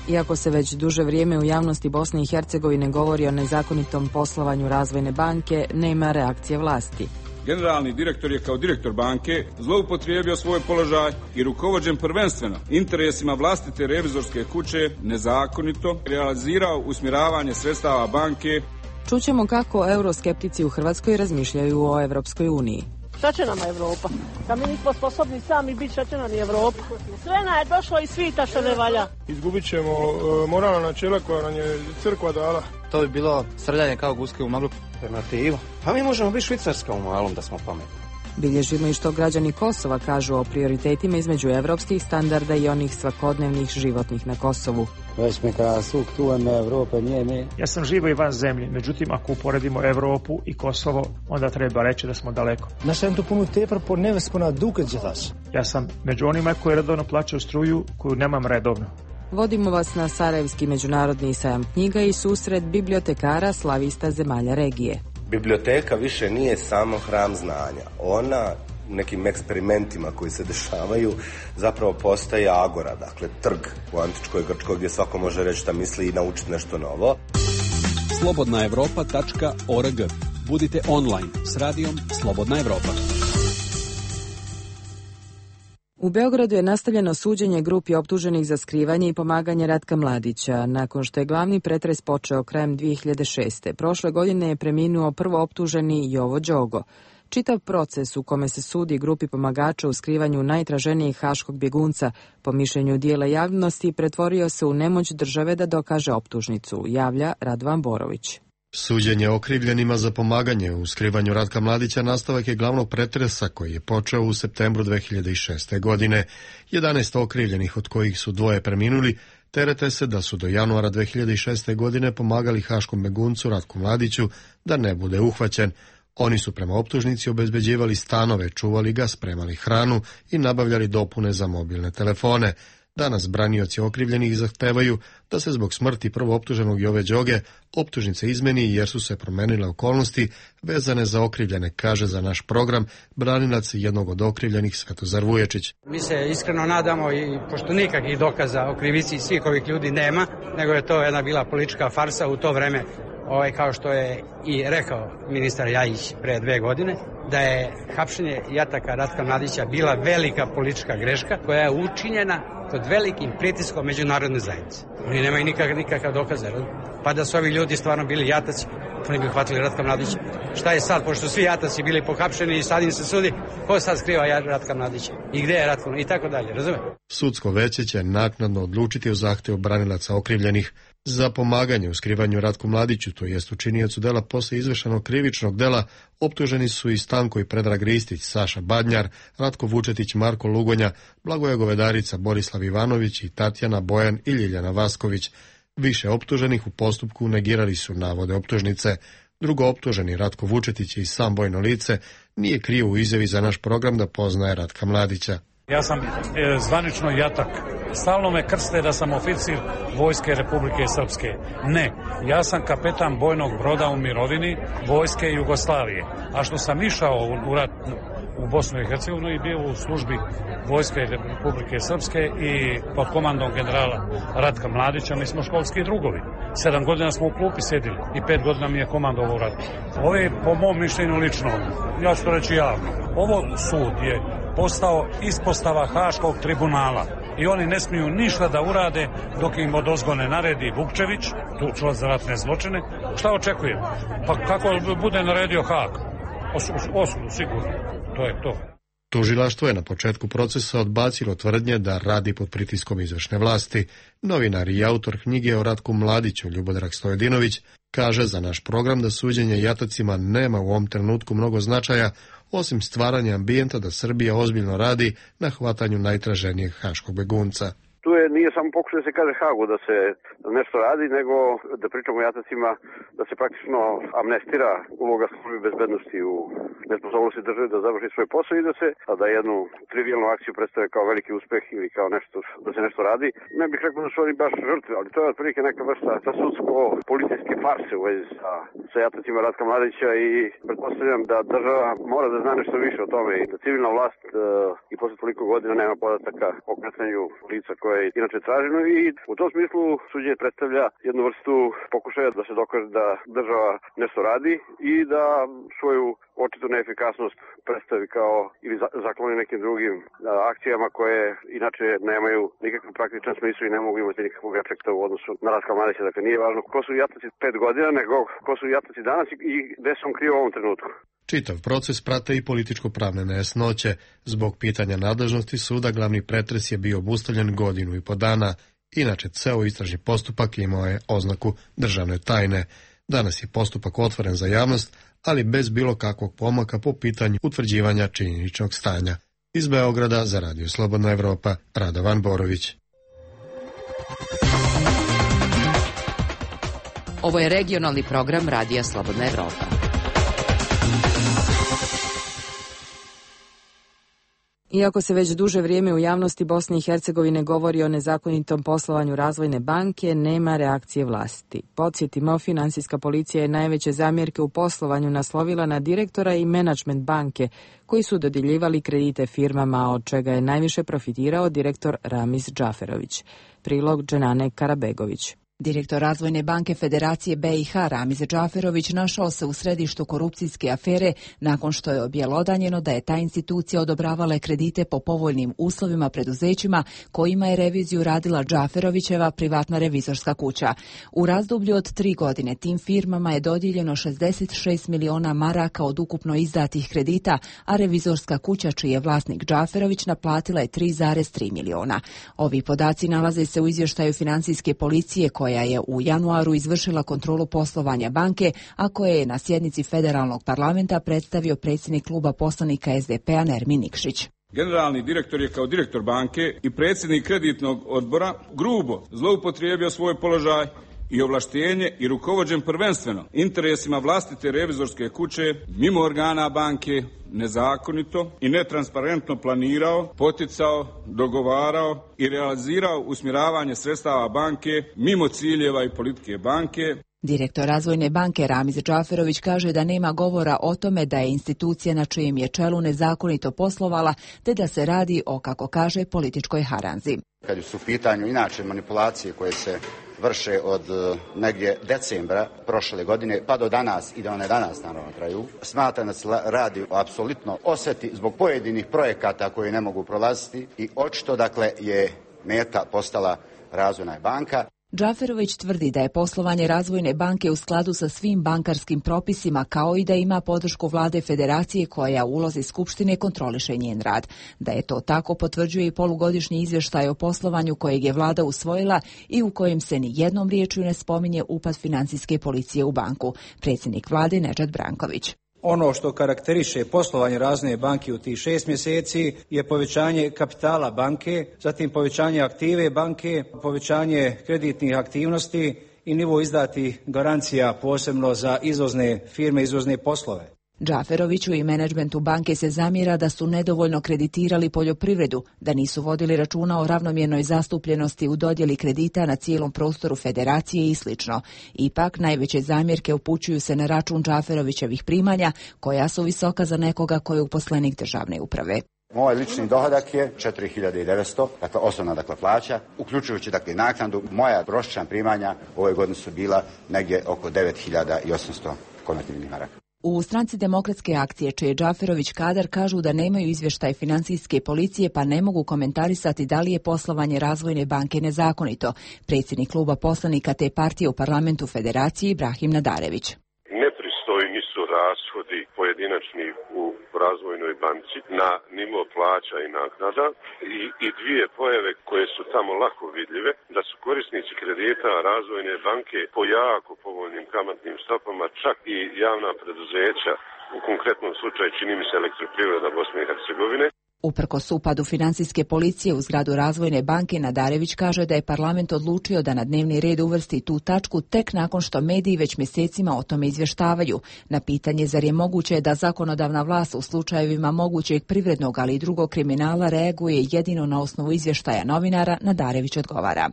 Iako se već duže vrijeme u javnosti Bosne i Hercegovine govori o nezakonitom poslovanju Razvojne banke, nema reakcije vlasti. Generalni direktor je kao direktor banke zloupotrijebio svoj položaj i rukovođen prvenstveno interesima vlastite revizorske kuće nezakonito realizirao usmjeravanje sredstava banke. Čućemo kako euroskeptici u Hrvatskoj razmišljaju o Evropskoj uniji. Šta će nama Evropa? Kad mi nismo sposobni sami biti, šta će nam i Evropa? Sve nam je došlo iz svita što ne valja. Izgubit ćemo uh, moralna načela koja nam je crkva dala. To bi bilo srljanje kao guske u maglu. Alternativa. Pa mi možemo biti Švicarska u malom da smo pametni. Bilježimo i što građani Kosova kažu o prioritetima između evropskih standarda i onih svakodnevnih životnih na Kosovu. Već mi kada suk tu na Evrope nije mi. Ja sam živo i van zemlje, međutim ako uporedimo Evropu i Kosovo, onda treba reći da smo daleko. Nós temos puno tempo por ne spona duke de vas. Ja sam među onima koji redovno plaćaju struju koju nemam redovno. Vodimo vas na Sarajevski međunarodni sajam knjiga i susret bibliotekara slavista zemalja regije. Biblioteka više nije samo hram znanja. Ona u nekim eksperimentima koji se dešavaju zapravo postaje agora, dakle trg u antičkoj Grčkoj gdje svako može reći šta misli i naučiti nešto novo. slobodna evropa tačka org. Budite online s radijom Slobodna Evropa. U Beogradu je nastavljeno suđenje grupi optuženih za skrivanje i pomaganje Ratka Mladića. Nakon što je glavni pretres počeo krajem dvije hiljade šeste. Prošle godine je preminuo prvo optuženi Jovo Đogo. Čitav proces u kome se sudi grupi pomagača u skrivanju najtraženijih haškog bjegunca, po mišljenju dijela javnosti, pretvorio se u nemoć države da dokaže optužnicu, javlja Radovan Borović. Suđenje okrivljenima za pomaganje u skrivanju Ratka Mladića nastavak je glavnog pretresa koji je počeo u septembru dvije hiljade šeste. godine. jedanaest okrivljenih, od kojih su dvoje preminuli, terete se da su do januara dvije hiljade šeste. godine pomagali haškom beguncu Ratku Mladiću da ne bude uhvaćen. Oni su prema optužnici obezbeđivali stanove, čuvali ga, spremali hranu i nabavljali dopune za mobilne telefone. Danas branioci okrivljenih zahtevaju da se zbog smrti prvo optuženog Jove Đoge optužnice izmeni jer su se promenile okolnosti vezane za okrivljene, kaže za naš program branilac jednog od okrivljenih Svetozar Vuječić. Mi se iskreno nadamo, i pošto nikakvih dokaza o krivici svih ovih ljudi nema, nego je to jedna bila politička farsa u to vreme, ovaj, kao što je i rekao ministar Ljajić pre dve godine, da je hapšenje jataka Ratka Mladića bila velika politička greška koja je učinjena pod velikim pritiskom međunarodne zajednice. Oni nemaju nikakav, nikakav dokaza, pa da su ovi ljudi stvarno bili jataci, oni bi uhvatili Ratka Mladića. Šta je sad, pošto svi jataci bili pohapšeni i sad im se sudi, ko sad skriva Ratka Mladića i gde je Ratko i tako dalje, razume? Sudsko veće će naknadno odlučiti o zahtevu branilaca okrivljenih za pomaganje u skrivanju Ratku Mladiću, to jest učiniocu dela posle izvršenog krivičnog dela. Optuženi su i Stanko i Predrag Ristić, Saša Badnjar, Ratko Vučetić, Marko Lugonja, Blagoje Govedarica, Borislav Ivanović i Tatjana Bojan i Ljiljana Vasković. Više optuženih u postupku negirali su navode optužnice. Drugo optuženi Ratko Vučetić i sam bojno lice nije krio u izjavi za naš program da poznaje Ratka Mladića. Ja sam e, zvanično jatak. Stalno me krste da sam oficir Vojske Republike Srpske. Ne, ja sam kapetan bojnog broda u mirovini Vojske Jugoslavije. A što sam išao u, rat, u Bosnu i Hercegovinu i bio u službi Vojske Republike Srpske i pod komandom generala Ratka Mladića. Mi smo školski drugovi. Sedam godina smo u klupi sjedili i pet godina mi je komandovao u ratu. Ovo je, po mom mišljenju lično, ja ću to reći javno, ovo sud je postao ispostava Haškog tribunala i oni ne smiju ništa da urade dok im odozgo ne naredi Vukčević, tužilac za ratne zločine. Šta očekujem? Pa kako bude naredio Haag? Osudu, sigurno. To je to. Tužilaštvo je na početku procesa odbacilo tvrdnje da radi pod pritiskom izvršne vlasti. Novinar i autor knjige o Ratku Mladiću, Ljubodrag Stojedinović, kaže za naš program da suđenje jatacima nema u ovom trenutku mnogo značaja, osim stvaranja ambijenta da Srbija ozbiljno radi na hvatanju najtraženijeg haškog begunca. Tu je, nije samo pokušaj da se kaže Hagu da se nešto radi, nego da pričamo o jatacima, da se praktično amnestira uloga službe bezbednosti u nesposobnosti države da završi svoj posao i da se da jednu trivijalnu akciju predstave kao veliki uspeh ili kao nešto, da se nešto radi. Ne bih rekao da su oni baš žrtve, ali to je otprilike neka vrsta sa sudsko-policijske farse u vezi sa, sa jatacima Ratka Mladića i pretpostavljam da država mora da zna nešto više o tome i da civilna vlast e, i posle toliko godina nema podataka o kretanju lica koje je inače traženo i u tom smislu suđenje predstavlja jednu vrstu pokušaja da se dokaže da država nešto radi i da svoju očitu neefikasnost predstavi kao ili zakloni nekim drugim a, akcijama koje inače nemaju nikakav praktičan smislu i ne mogu imati nikakvog efekta u odnosu na Ratka Mladića. Dakle, nije važno ko su jataci pet godina, nego ko su jataci danas i gde se on krio u ovom trenutku. Čitav proces prate i političko-pravne nejasnoće. Zbog pitanja nadležnosti suda glavni pretres je bio obustavljen godinu i po dana. Inače, ceo istražni postupak imao je oznaku državne tajne. Danas je postupak otvoren za javnost, ali bez bilo kakvog pomaka po pitanju utvrđivanja činjeničnog stanja. Iz Beograda za Radio Slobodna Evropa, Radovan Borović. Ovo je regionalni program Radija Slobodna Evropa. Iako se već duže vrijeme u javnosti Bosne i Hercegovine govori o nezakonitom poslovanju Razvojne banke, nema reakcije vlasti. Podsjetimo, finansijska policija je najveće zamjerke u poslovanju naslovila na direktora i menadžment banke, koji su dodjeljivali kredite firmama, od čega je najviše profitirao direktor Ramiz Džaferović. Prilog Dženane Karabegović. Direktor Razvojne banke Federacije B i H Ramiz Džaferović našao se u središtu korupcijske afere nakon što je objelodanjeno da je ta institucija odobravala kredite po povoljnim uslovima preduzećima kojima je reviziju radila Džaferovićeva privatna revizorska kuća. U razdoblju od tri godine tim firmama je dodijeljeno šezdeset šest miliona maraka od ukupno izdatih kredita, a revizorska kuća čiji je vlasnik Džaferović naplatila je tri zarez tri miliona. Ovi podaci nalaze se u izvještaju financijske policije koja je u januaru izvršila kontrolu poslovanja banke, a koje je na sjednici federalnog parlamenta predstavio predsjednik kluba poslanika S D P-a Nermin Nikšić. Generalni direktor je kao direktor banke i predsjednik kreditnog odbora grubo zloupotrijebio svoj položaj i ovlaštenje i rukovođen prvenstveno interesima vlastite revizorske kuće mimo organa banke, nezakonito i netransparentno planirao, poticao, dogovarao i realizirao usmjeravanje sredstava banke mimo ciljeva i politike banke. Direktor Razvojne banke Ramiz Džaferović kaže da nema govora o tome da je institucija na čijem je čelu nezakonito poslovala, te da se radi o, kako kaže, političkoj haranzi. Kad su u pitanju inače manipulacije koje se vrše od negdje decembra prošle godine pa do danas i da one danas naravno traju, smatram da se radi o apsolutno osveti zbog pojedinih projekata koje ne mogu prolaziti i očito dakle je meta postala Razvojna banka. Džaferović tvrdi da je poslovanje Razvojne banke u skladu sa svim bankarskim propisima, kao i da ima podršku vlade Federacije koja u ulozi Skupštine kontroliše njen rad. Da je to tako potvrđuje i polugodišnji izvještaj o poslovanju kojeg je vlada usvojila i u kojem se ni jednom riječju ne spominje upad financijske policije u banku. Predsjednik vlade Nedžad Branković. Ono što karakteriše poslovanje Razvojne banke u tih šest mjeseci je povećanje kapitala banke, zatim povećanje aktive banke, povećanje kreditnih aktivnosti i nivo izdatih garancija posebno za izvozne firme, izvozne poslove. Džaferoviću i menadžmentu banke se zamjera da su nedovoljno kreditirali poljoprivredu, da nisu vodili računa o ravnomjernoj zastupljenosti u dodjeli kredita na cijelom prostoru federacije i sl. Ipak, najveće zamjerke upućuju se na račun Džaferovićevih primanja, koja su visoka za nekoga koji je uposlenik državne uprave. Moj lični dohodak je četiri hiljade devetsto, dakle osnovna dakle plaća, uključujući dakle naknadu. Moja prosječna primanja ove godine su bila negdje oko devet hiljada osamsto konvertibilnih maraka. U stranci Demokratske akcije, čije Džaferović kadar, kažu da nemaju izvještaj financijske policije pa ne mogu komentarisati da li je poslovanje Razvojne banke nezakonito. Predsjednik kluba poslanika te partije u parlamentu Federacije Ibrahim Nadarević. Nepristojni su rashodi pojedinačni u Razvojnoj banci na nivo plaća i naknada i, i dvije pojave koje su tamo lako vidljive, da su korisnici kredita Razvojne banke po jako povoljnim kamatnim stopama, čak i javna preduzeća, u konkretnom slučaju čini mi se Elektroprivreda Bosne i Hercegovine. Uprkos upadu financijske policije u zgradu Razvojne banke, Nadarević kaže da je parlament odlučio da na dnevni red uvrsti tu tačku tek nakon što mediji već mjesecima o tome izvještavaju. Na pitanje zar je moguće da zakonodavna vlast u slučajevima mogućeg privrednog ali i drugog kriminala reaguje jedino na osnovu izvještaja novinara, Nadarević odgovara.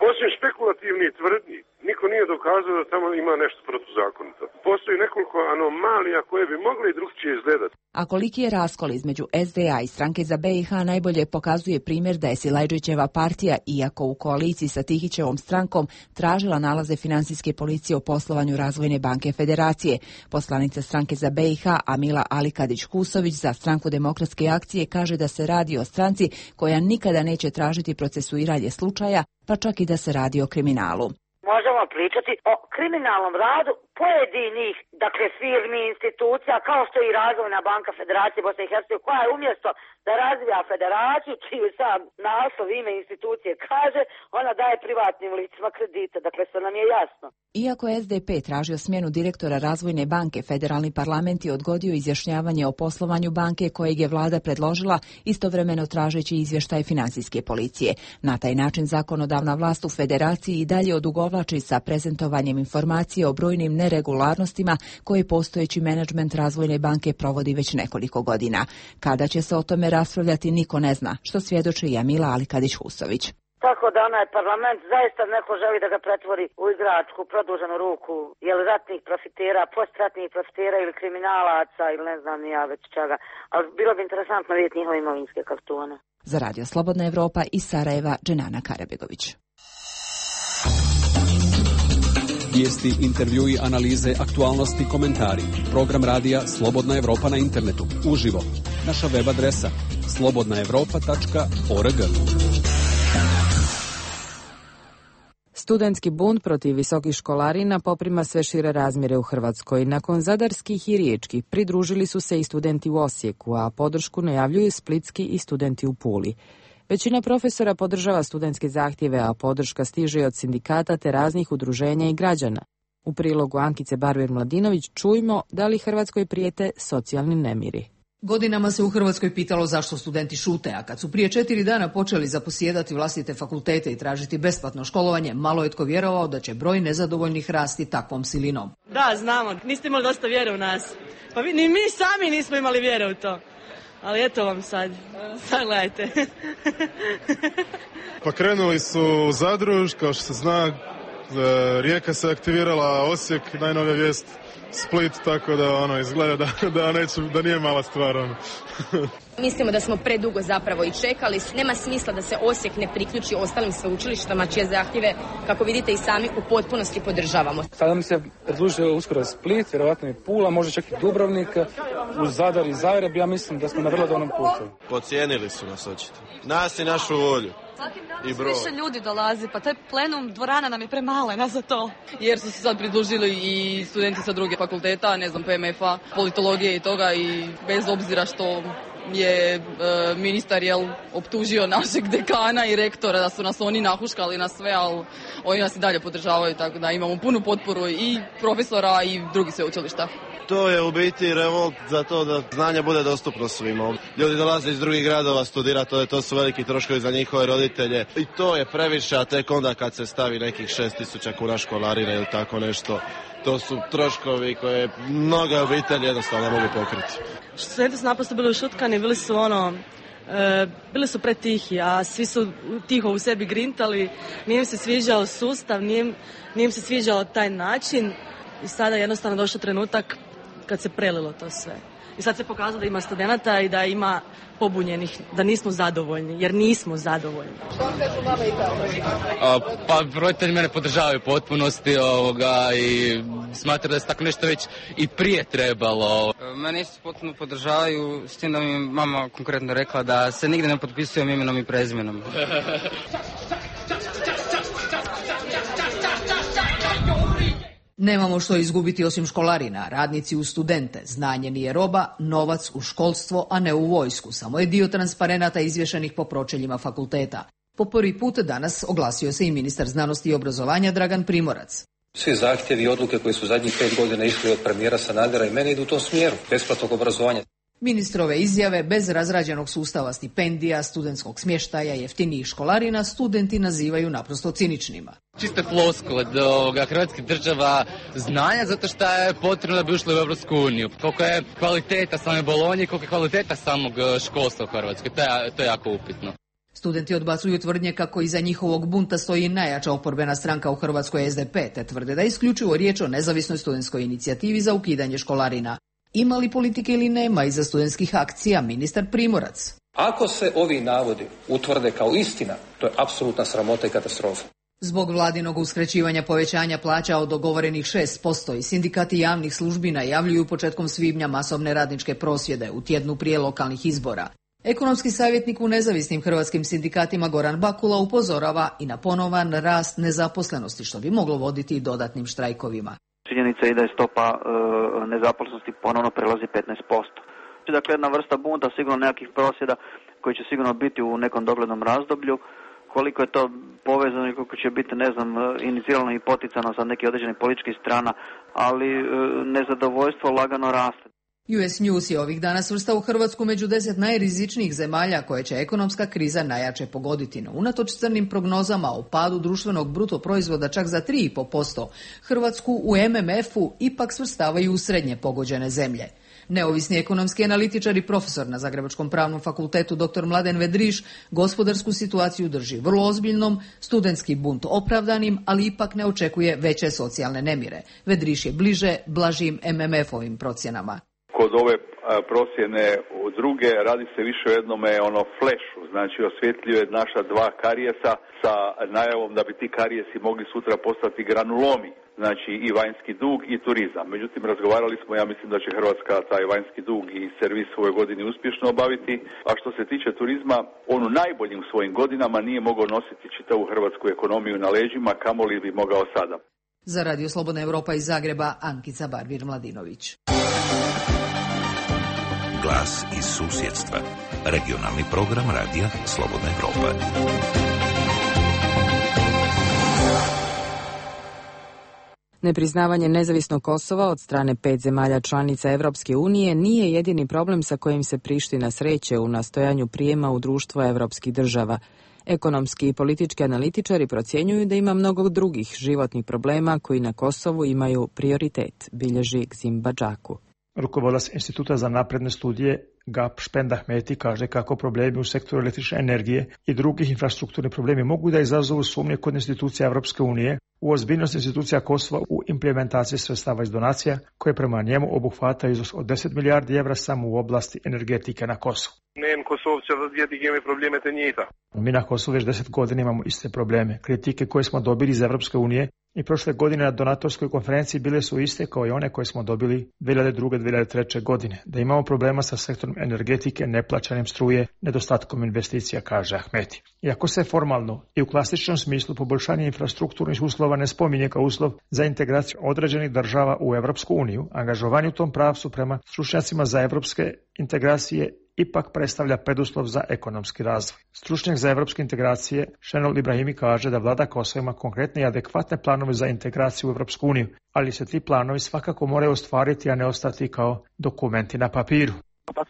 Osim špekulativnih tvrdnji, niko nije dokazao da tamo ima nešto protuzakonito. Postoji nekoliko anomalija koje bi mogle i drugčije izgledati. A koliki je raskol između S D A i Stranke za B i H najbolje pokazuje primjer da je Silajdžićeva partija, iako u koaliciji sa Tihićevom strankom, tražila nalaze financijske policije o poslovanju Razvojne banke Federacije. Poslanica Stranke za B i H Amila Alikadić-Kusović za Stranku Demokratske akcije kaže da se radi o stranci koja nikada neće tražiti procesuiranje slučaja, pa čak i da se radi o kriminalu. Možemo pričati o kriminalnom radu pojedinih, dakle, firmi, institucija, kao što je i Razvojna banka Federacije Bosne i Hercegovine, koja je umjesto da razvija federaciju, čiju sam naslov ime institucije kaže, ona daje privatnim licima kredite, dakle, sve nam je jasno. Iako je S D P tražio smjenu direktora Razvojne banke, federalni parlament je odgodio izjašnjavanje o poslovanju banke kojeg je vlada predložila, istovremeno tražeći izvještaj financijske policije. Na taj način zakonodavna vlast u federaciji i dalje odugovlači sa prezentovanjem informacije o brojnim neregularnostima koje postojeći menadžment Razvojne banke provodi već nekoliko godina. Kada će se o tome raspravljati, niko ne zna, što svjedoči i Amila Alikadić-Husović. Tako da onaj parlament zaista neko želi da ga pretvori u igračku, produženu ruku, jel ratnih profitera, postratnih profitera ili kriminalaca ili ne znam ni ja već čega. Ali bilo bi interesantno vidjeti njihove imovinske kartone. Za Radio Slobodna Evropa iz Sarajeva, Dženana Karabegović. Vijesti, intervjui, analize, aktualnosti, komentari. Program radija Slobodna Evropa na internetu. Uživo. Naša web adresa slobodna evropa tačka org. Studentski bunt protiv visokih školarina poprima sve šire razmjere u Hrvatskoj. Nakon zadarskih i riječkih pridružili su se i studenti u Osijeku, a podršku najavljuju splitski i studenti u Puli. Većina profesora podržava studentske zahtjeve, a podrška stiže od sindikata te raznih udruženja i građana. U prilogu Ankice Barber-Mladinović čujmo da li Hrvatskoj prijete socijalni nemiri. Godinama se u Hrvatskoj pitalo zašto studenti šute, a kad su prije četiri dana počeli zaposjedati vlastite fakultete i tražiti besplatno školovanje, malo je tko vjerovao da će broj nezadovoljnih rasti takvom silinom. Da, znamo, niste imali dosta vjere u nas. Pa vi, ni mi sami nismo imali vjere u to. Ali eto vam sad, sad gledajte. Pa krenuli su u Zadru, kao što se zna, Rijeka se aktivirala, Osijek, najnovija vijest, Split, tako da ono izgleda da, da, neću, da nije mala stvar. Ono. Mislimo da smo predugo zapravo i čekali. Nema smisla da se Osijek ne priključi ostalim sveučilištama čije zahtjeve, kako vidite i sami, u potpunosti podržavamo. Sada mi se predlužio uskoro Split, vjerovatno i Pula, možda čak i Dubrovnik, uz Zadar i Zagreb. Ja mislim da smo na vrlo dobrom putu. Podcijenili su nas očito. Nas i našu volju. I broj. Više ljudi dolazi, pa taj plenum dvorana nam je premalena za to. Jer su se sad pridružili i studenti sa druge fakulteta, ne znam, P M F-a, politologije i toga, i bez obzira što je e, ministar jel, optužio našeg dekana i rektora da su nas oni nahuškali na sve, ali oni nas i dalje podržavaju, tako da imamo punu potporu i profesora i drugih sveučilišta. To je u biti revolt za to da znanje bude dostupno svima. Ljudi dolaze iz drugih gradova studirati, to, to su veliki troškovi za njihove roditelje i to je previše, a tek onda kad se stavi nekih šest tisuća kuna školarine ili tako nešto, To su troškovi koje mnoge obitelji jednostavno ne mogu pokriti. Studenti su naprosto bili ušutkani, bili su ono, e, bili su pretihi, a svi su tiho u sebi grintali, nije im se sviđao sustav, nije, nije im se sviđao taj način i sada je jednostavno došao trenutak kad se prelilo to sve. I sad se pokazalo da ima studenata i da ima pobunjenih, da nismo zadovoljni, jer nismo zadovoljni. Što vam kažu mama i tata? Pa roditelji mene podržavaju u potpunosti ovoga i smatram da se tako nešto već i prije trebalo. Mene isto potpuno podržavaju, s tim da mi mama konkretno rekla da se nigdje ne potpisujem imenom i prezimenom. Nemamo što izgubiti osim školarina, radnici u studente, znanje nije roba, novac u školstvo, a ne u vojsku. Samo je dio transparenata izvješenih po pročeljima fakulteta. Po prvi put danas oglasio se i ministar znanosti i obrazovanja Dragan Primorac. Svi zahtjevi i odluke koji su zadnjih pet godina išli od premijera Sanadera i mene idu u tom smjeru, besplatnog obrazovanja. Ministrove izjave bez razrađenog sustava stipendija, studentskog smještaja, jeftinijih školarina studenti nazivaju naprosto ciničnima. Čiste floskule od ovoga hrvatskih država znanja zato što je potrebno da bi ušli u Europsku uniju. Koliko je kvaliteta same Bolonje i koliko je kvaliteta samog školstva u Hrvatskoj, to je, to je jako upitno. Studenti odbacuju tvrdnje kako iza njihovog bunta stoji najjača oporbena stranka u Hrvatskoj S D P, te tvrde da je isključivo riječ o nezavisnoj studentskoj inicijativi za ukidanje školarina. Ima li politike ili nema iza studentskih akcija, ministar Primorac? Ako se ovi navodi utvrde kao istina, to je apsolutna sramota i katastrofa. Zbog vladinog uskraćivanja povećanja plaća od dogovorenih šest posto i sindikati javnih službi najavljuju početkom svibnja masovne radničke prosvjede u tjednu prije lokalnih izbora. Ekonomski savjetnik u nezavisnim hrvatskim sindikatima Goran Bakula upozorava i na ponovan rast nezaposlenosti, što bi moglo voditi i dodatnim štrajkovima. Činjenica je da je stopa e, nezaposlenosti ponovno prelazi petnaest posto. Dakle, jedna vrsta bunta, sigurno nekakvih prosvjeda koji će sigurno biti u nekom doglednom razdoblju. Koliko je to povezano i koliko će biti, ne znam, inicirano i poticano sa nekih određenih političkih strana, ali e, nezadovoljstvo lagano raste. U S News je ovih dana svrstao Hrvatsku među deset najrizičnijih zemalja koje će ekonomska kriza najjače pogoditi. No, unatoč crnim prognozama o padu društvenog bruto proizvoda čak za tri i pol posto, Hrvatsku u M M F-u ipak svrstavaju u srednje pogođene zemlje. Neovisni ekonomski analitičar i profesor na Zagrebačkom pravnom fakultetu dr. Mladen Vedriš gospodarsku situaciju drži vrlo ozbiljnom, studentski bunt opravdanim, ali ipak ne očekuje veće socijalne nemire. Vedriš je bliže blažim M M F-ovim procjenama. Kod ove procjene druge radi se više o jednome ono flešu, znači osvjetljuje naša dva karijesa sa najavom da bi ti karijesi mogli sutra postati granulomi, znači i vanjski dug i turizam. Međutim, razgovarali smo, ja mislim da će Hrvatska taj vanjski dug i servis u ovoj godini uspješno obaviti, a što se tiče turizma, on u najboljim svojim godinama nije mogao nositi čitavu hrvatsku ekonomiju na leđima, kamoli bi mogao sada. Za Radio Slobodna Evropa iz Zagreba, Ankica Barbir-Mladinović. Glas iz susjedstva. Regionalni program radija Slobodna Evropa. Nepriznavanje nezavisnog Kosova od strane pet zemalja članica Evropske unije nije jedini problem sa kojim se Priština sreće u nastojanju prijema u društvo evropskih država. Ekonomski i politički analitičari procjenjuju da ima mnogo drugih životnih problema koji na Kosovu imaju prioritet, bilježi Gzim Badžaku. Rukovodilac Instituta za napredne studije Gap Špend Ahmeti kaže kako problemi u sektoru električne energije i drugih infrastrukturnih problemi mogu da izazovu sumnje kod institucija Evropske unije u ozbiljnost institucija Kosova u implementaciji sredstava iz donacija koje prema njemu obuhvata iznos od deset milijardi evra samo u oblasti energetike na Kosovu. Ne, Kosovce vjeti imaju probleme te njita. Mi na Kosovu već deset godina imamo iste probleme. Kritike koje smo dobili iz Evropske unije i prošle godine na donatorskoj konferenciji bile su iste kao i one koje smo dobili dvije hiljade druge. dvije hiljade treće. godine. Da imamo problema sa sektorom energetike, neplaćanjem struje, nedostatkom investicija, kaže Ahmeti. Iako se formalno i u klasičnom smislu poboljšanje infrastrukturnih uslova ne spominje kao uslov za integraciju određenih država u Evropsku uniju, angažovanje u tom pravcu prema stručnjacima za evropske integracije ipak predstavlja preduslov za ekonomski razvoj. Stručnjak za evropske integracije Šenol Ibrahimi kaže da vlada Kosova ima konkretne i adekvatne planove za integraciju u Evropsku uniju, ali se ti planovi svakako moraju ostvariti, a ne ostati kao dokumenti na papiru.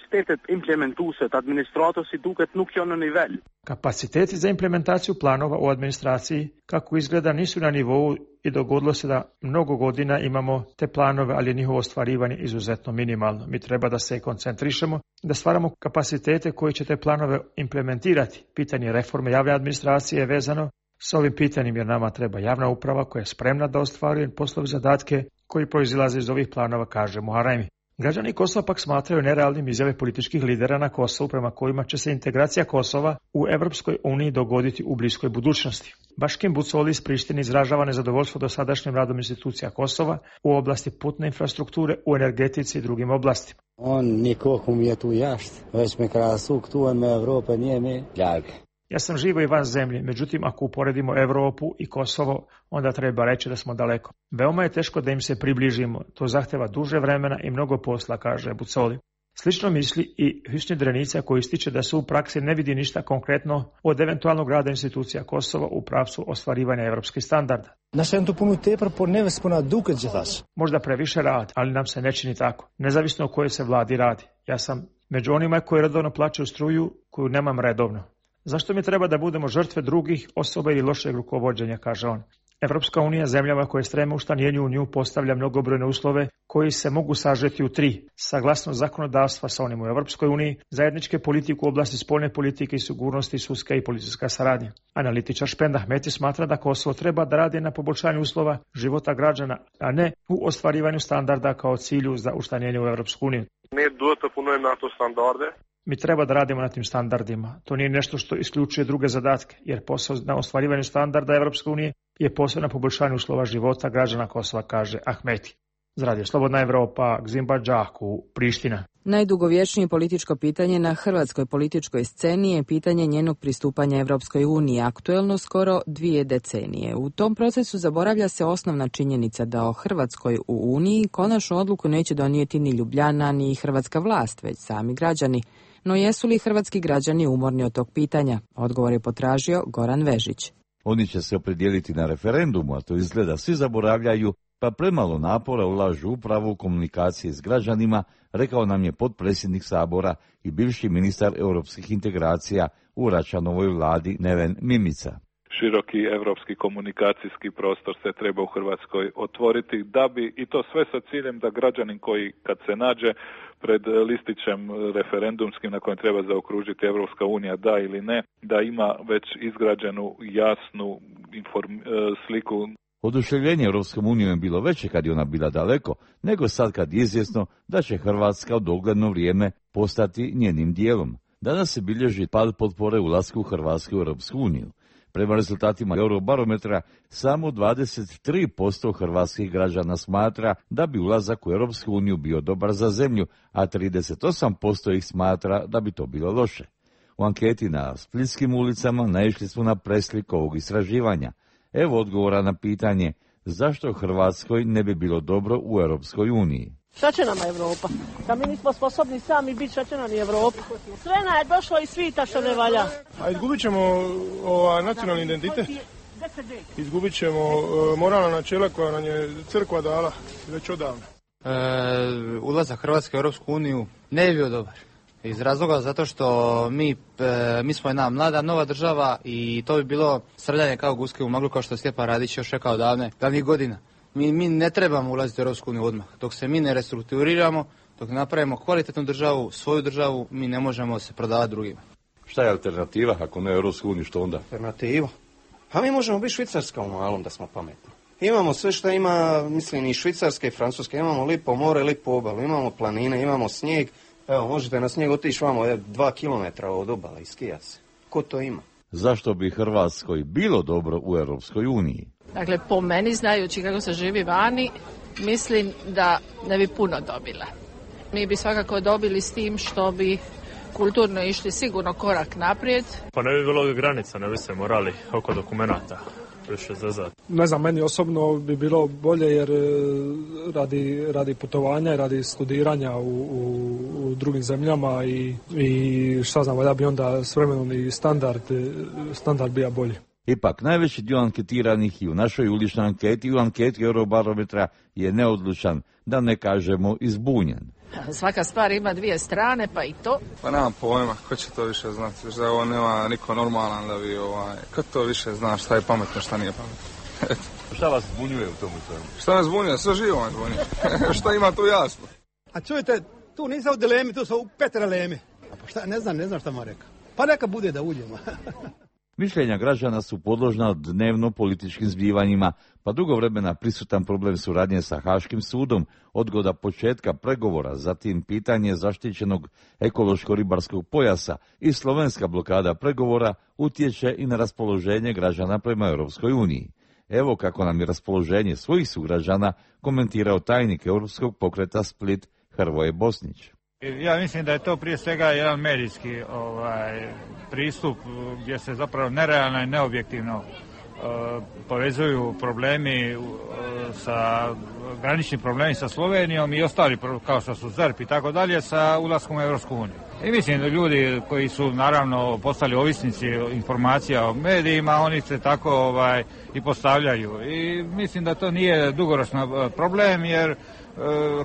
kapasitetet implementueset, administratorsi duket nuk janë në nivel. Kapaciteti za implementaciju planova u administraciji, kako izgleda, nisu na nivou i dogodilo se da mnogo godina imamo te planove, ali je njihovo ostvarivanje izuzetno minimalno. Mi treba da se koncentrišemo, da stvaramo kapacitete koji će te planove implementirati. Pitanje reforme javne administracije je vezano s ovim pitanjem, jer nama treba javna uprava koja je spremna da ostvaruje poslove zadatke koji proizilaze iz ovih planova, kaže Muharremi. Građani Kosova pak smatraju nerealnim izjave političkih lidera na Kosovu prema kojima će se integracija Kosova u Evropskoj uniji dogoditi u bliskoj budućnosti. Baškim Bucoli iz Prištine izražava nezadovoljstvo dosadašnjim radom institucija Kosova u oblasti putne infrastrukture, u energetici i drugim oblastima. On nikoho mi je tu jashtë, već me krasu këtu me Evropë njemi largë. Ja sam živo i van zemlje, međutim ako uporedimo Evropu i Kosovo, onda treba reći da smo daleko. Veoma je teško da im se približimo, to zahteva duže vremena i mnogo posla, kaže Bucoli. Slično misli i Hüsnü Drenica, koji ističe da se u praksi ne vidi ništa konkretno od eventualnog rada institucija Kosova u pravcu ostvarivanja evropskih standarda. Možda previše rad, ali nam se ne čini tako, nezavisno o kojoj se vladi radi. Ja sam među onima koji redovno plaćaju struju koju nemam redovno. Zašto mi treba da budemo žrtve drugih osoba ili lošeg rukovođenja, kaže on. Evropska unija zemljama koje streme učlanjenju u nju postavlja mnogobrojne uslove koji se mogu sažeti u tri. Saglasnost zakonodavstva sa onim u Evropskoj uniji, zajedničke politike u oblasti spoljne politike i sigurnosti, sudska i policijska saradnja. Analitičar Špenda Ahmeti smatra da Kosovo treba da radi na poboljšanju uslova života građana, a ne u ostvarivanju standarda kao cilju za učlanjenje u Evropsku uniju. Ne duhet të punojmë na ato standarde. Mi treba da radimo na tim standardima. To nije nešto što isključuje druge zadatke, jer posao na ostvarivanju standarda Evropske unije je posao na poboljšanju uslova života građana Kosova, kaže Ahmeti. Za Radio Slobodna Evropa, Gzimba Džaku, Priština. Najdugovječnije političko pitanje na hrvatskoj političkoj sceni je pitanje njenog pristupanja Evropskoj uniji, aktuelno skoro dvije decenije. U tom procesu zaboravlja se osnovna činjenica da o Hrvatskoj u Uniji konačnu odluku neće donijeti ni Ljubljana, ni hrvatska vlast, već sami građani. No jesu li hrvatski građani umorni od tog pitanja? Odgovor je potražio Goran Vežić. Oni će se opredijeliti na referendumu, a to izgleda svi zaboravljaju, pa premalo napora ulažu upravo u komunikacije s građanima, rekao nam je potpredsjednik Sabora i bivši ministar europskih integracija u Račanovoj vladi Neven Mimica. Široki europski komunikacijski prostor se treba u Hrvatskoj otvoriti, da bi, i to sve sa ciljem da građanin koji kad se nađe pred listićem referendumskim na kojem treba zaokružiti Evropska unija da ili ne, da ima već izgrađenu jasnu inform, sliku. Oduševljenje Europskom unijom je bilo veće kad je ona bila daleko, nego sad kad je izvjesno da će Hrvatska u dogledno vrijeme postati njenim dijelom. Danas se bilježi pad potpore ulasku Hrvatske u Europsku uniju. Prema rezultatima Eurobarometra, samo dvadeset tri posto hrvatskih građana smatra da bi ulazak u Europsku uniju bio dobar za zemlju, a trideset osam posto ih smatra da bi to bilo loše. U anketi na splitskim ulicama naišli smo na preslik ovog istraživanja. Evo odgovora na pitanje zašto Hrvatskoj ne bi bilo dobro u Europskoj uniji. Šta će nama Evropa? Da mi nismo sposobni sami biti, šta će nam i Evropa? Sve nam je došlo iz svita što ne valja. A izgubit ćemo ova, nacionalni identitet? Izgubit ćemo uh, moralna načela koja nam je crkva dala već odavno. E, ulazak Hrvatske u Europsku uniju ne bi bio dobar. Iz razloga zato što mi, e, mi smo jedna mlada nova država i to bi bilo srljanje kao guske u maglu, kao što je Stjepan Radić još rekao davne, davnih godina. Mi, mi ne trebamo ulaziti u Europsku uniju odmah. Dok se mi ne restrukturiramo, dok napravimo kvalitetnu državu, svoju državu, mi ne možemo se prodavati drugima. Šta je alternativa ako ne Europsku uniju, što onda? Alternativa? Pa mi možemo biti Švicarska u malom da smo pametni. Imamo sve što ima, mislim, i Švicarska i Francuska. Imamo lipo more, lipo obalu, imamo planine, imamo snijeg. Evo, možete na snijeg otići vamo je, dva kilometra od obale i skijat se. Ko to ima? Zašto bi Hrvatskoj bilo dobro u Europskoj uniji? Dakle, po meni, znajući kako se živi vani, mislim da ne bi puno dobila. Mi bi svakako dobili s tim što bi kulturno išli sigurno korak naprijed. Pa ne bi bilo granica, ne bi se morali oko dokumenata više zazad. Ne znam, meni osobno bi bilo bolje jer radi, radi putovanja i radi studiranja u, u, u drugim zemljama i, i šta znam, da bi onda s vremenom i standard, standard bio bolji. Ipak, najveći dio anketiranih i u našoj uličnoj anketi i u anketi Eurobarometra je neodlučan, da ne kažemo izbunjen. Svaka stvar ima dvije strane, pa i to. Pa nemam pojma, ko će to više znati, da ovo nema niko normalan da bi ovaj, ko to više zna šta je pametno, šta nije pametno. Šta vas zbunjuje u tomu svemu? Šta nas zbunjuje? Sve živo nas zbunjuje. Šta ima tu jasno? A čujte, tu nisam u dilemi, tu sam u petralemi. Pa šta, ne znam, ne znam šta mu rekao. Pa neka bude da uđemo. Mišljenja građana su podložna dnevno političkim zbivanjima, pa dugo vremena prisutan problem suradnje sa Haškim sudom, odgoda početka pregovora, zatim pitanje zaštićenog ekološko-ribarskog pojasa i slovenska blokada pregovora utječe i na raspoloženje građana prema Europskoj uniji. Evo kako nam je raspoloženje svojih sugrađana komentirao tajnik Europskog pokreta Split Hrvoje Bosnić. Ja mislim da je to prije svega jedan medijski ovaj, pristup gdje se zapravo nerealno i neobjektivno uh, povezuju problemi uh, sa granični problemi sa Slovenijom i ostali kao što su Z E R P i tako dalje sa ulaskom u Europsku uniju. I mislim da ljudi koji su naravno postali ovisnici informacija o medijima, oni se tako ovaj, i postavljaju. I mislim da to nije dugoročni problem jer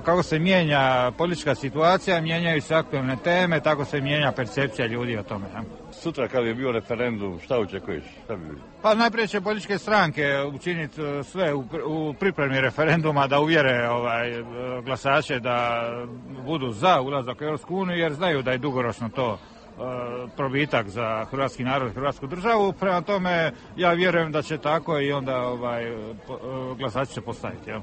kako se mijenja politička situacija, mijenjaju se aktualne teme, tako se mijenja percepcija ljudi o tome. Sutra kad je bio referendum, šta očekuješ? Šta bi bilo? Pa najprije će političke stranke učiniti sve u, u pripremi referenduma da uvjere ovaj, glasače da budu za ulazak u Europsku uniju jer znaju da je dugoročno to probitak za hrvatski narod i hrvatsku državu. Prema tome ja vjerujem da će tako i onda ovaj, glasači će postaviti. Ja.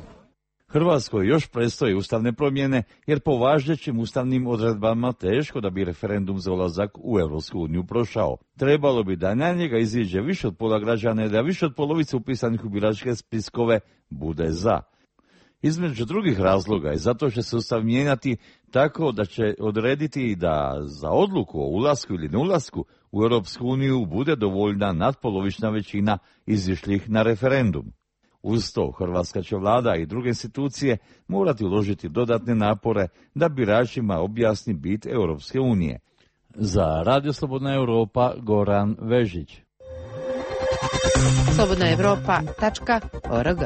Hrvatskoj još predstoje ustavne promjene, jer po važećim ustavnim odredbama teško da bi referendum za ulazak u Europsku uniju prošao. Trebalo bi da na njega iziđe više od pola građana i da više od polovice upisanih u biračke spiskove bude za. Između drugih razloga je zato će se ustav mijenjati tako da će odrediti da za odluku o ulasku ili neulasku u Europsku uniju bude dovoljna nadpolovična većina izišlih na referendum. Uz to, hrvatska će vlada i druge institucije morati uložiti dodatne napore da biračima objasni bit Europske unije. Za Radio Slobodna Europa, Goran Vežić. slobodna europa tačka org.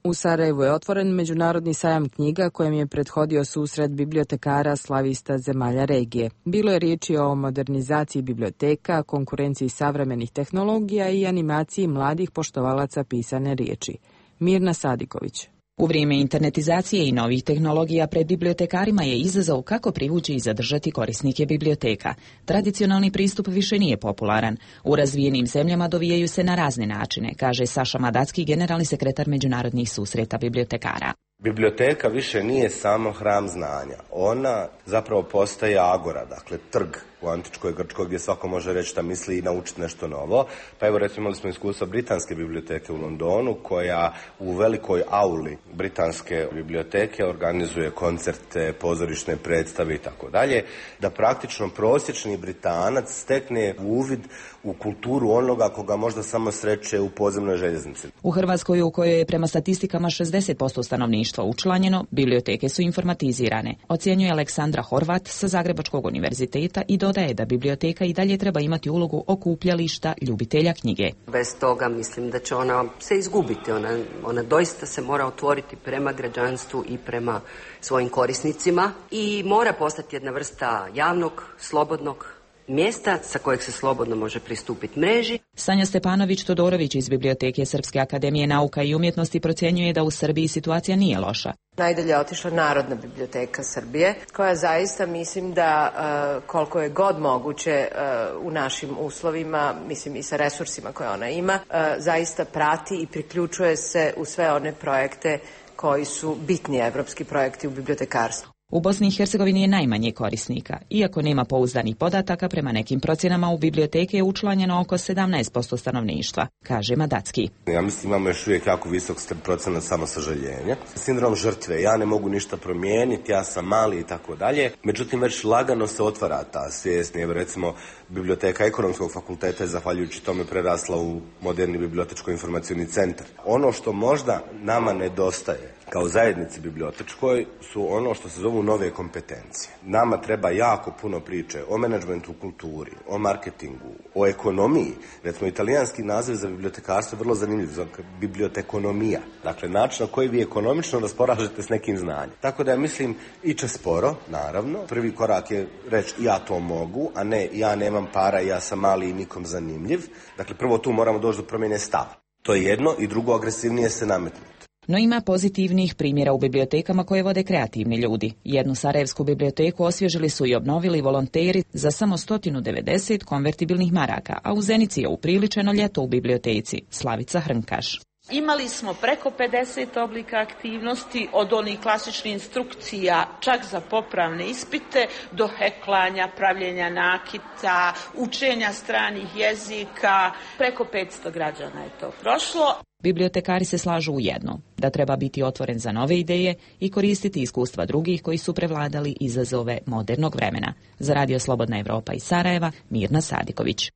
U Sarajevu je otvoren međunarodni sajam knjiga kojem je prethodio susret bibliotekara slavista zemalja regije. Bilo je riječi o modernizaciji biblioteka, konkurenciji savremenih tehnologija i animaciji mladih poštovalaca pisane riječi. Mirna Sadiković. U vrijeme internetizacije i novih tehnologija pred bibliotekarima je izazov kako privući i zadržati korisnike biblioteka. Tradicionalni pristup više nije popularan. U razvijenim zemljama dovijaju se na razne načine, kaže Saša Madacki, generalni sekretar međunarodnih susreta bibliotekara. Biblioteka više nije samo hram znanja. Ona zapravo postaje agora, dakle trg u antičkoj Grčkoj gdje svako može reći šta misli i naučiti nešto novo. Pa evo recimo imali smo iskustvo britanske biblioteke u Londonu koja u velikoj auli britanske biblioteke organizuje koncerte, pozorišne predstave i tako dalje, da praktično prosječni Britanac stekne uvid u kulturu onoga koga možda samo sreće u podzemnoj željeznici. U Hrvatskoj, u kojoj je prema statistikama šezdeset posto stanovništva učlanjeno, biblioteke su informatizirane, ocjenjuje Aleksandra Horvat sa Zagrebačkog univerziteta i dodaje da biblioteka i dalje treba imati ulogu okupljališta ljubitelja knjige. Bez toga mislim da će ona se izgubiti. Ona, ona doista se mora otvoriti prema građanstvu i prema svojim korisnicima i mora postati jedna vrsta javnog, slobodnog mjesta sa kojeg se slobodno može pristupiti mreži. Sanja Stepanović-Todorović iz Biblioteke Srpske akademije nauka i umjetnosti procjenjuje da u Srbiji situacija nije loša. Najdalje je otišla Narodna biblioteka Srbije, koja zaista mislim da uh, koliko je god moguće uh, u našim uslovima, mislim i sa resursima koje ona ima, uh, zaista prati i priključuje se u sve one projekte koji su bitni evropski projekti u bibliotekarstvu. U Bosni i Hercegovini je najmanje korisnika. Iako nema pouzdanih podataka, prema nekim procjenama u biblioteke je učlanjeno oko sedamnaest posto stanovništva, kaže Madacki. Ja mislim imamo još uvijek jako visok procenat samosažaljenja. Sindrom žrtve, ja ne mogu ništa promijeniti, ja sam mali i tako dalje. Međutim, već lagano se otvara ta svijest. Evo recimo, biblioteka Ekonomskog fakulteta je zahvaljujući tome prerasla u moderni bibliotečko-informacioni centar. Ono što možda nama nedostaje kao zajednici bibliotečkoj su ono što se zovu u nove kompetencije. Nama treba jako puno priče o menadžmentu u kulturi, o marketingu, o ekonomiji. Recimo, italijanski naziv za bibliotekarstvo je vrlo zanimljiv, za bibliotekonomija. Dakle, način na koji vi ekonomično raspolažete s nekim znanjem. Tako da ja mislim, iće sporo, naravno. Prvi korak je reći ja to mogu, a ne ja nemam para, ja sam mali i nikom zanimljiv. Dakle, prvo tu moramo doći do promjene stava. To je jedno i drugo, agresivnije se nametnuti. No ima pozitivnih primjera u bibliotekama koje vode kreativni ljudi. Jednu sarajevsku biblioteku osvježili su i obnovili volonteri za samo sto devedeset konvertibilnih maraka, a u Zenici je upriličeno ljeto u biblioteci. Slavica Hrnkaš. Imali smo preko pedeset oblika aktivnosti, od onih klasičnih instrukcija čak za popravne ispite, do heklanja, pravljenja nakita, učenja stranih jezika. Preko petsto građana je to prošlo. Bibliotekari se slažu u jedno, da treba biti otvoren za nove ideje i koristiti iskustva drugih koji su prevladali izazove modernog vremena. Za Radio Slobodna Evropa iz Sarajeva, Mirna Sadiković.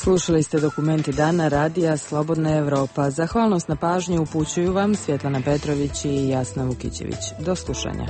Slušali ste dokumenti dana radija Slobodna Evropa. Zahvalnost na pažnju upućuju vam Svjetlana Petrović i Jasna Vukićević. Do slušanja.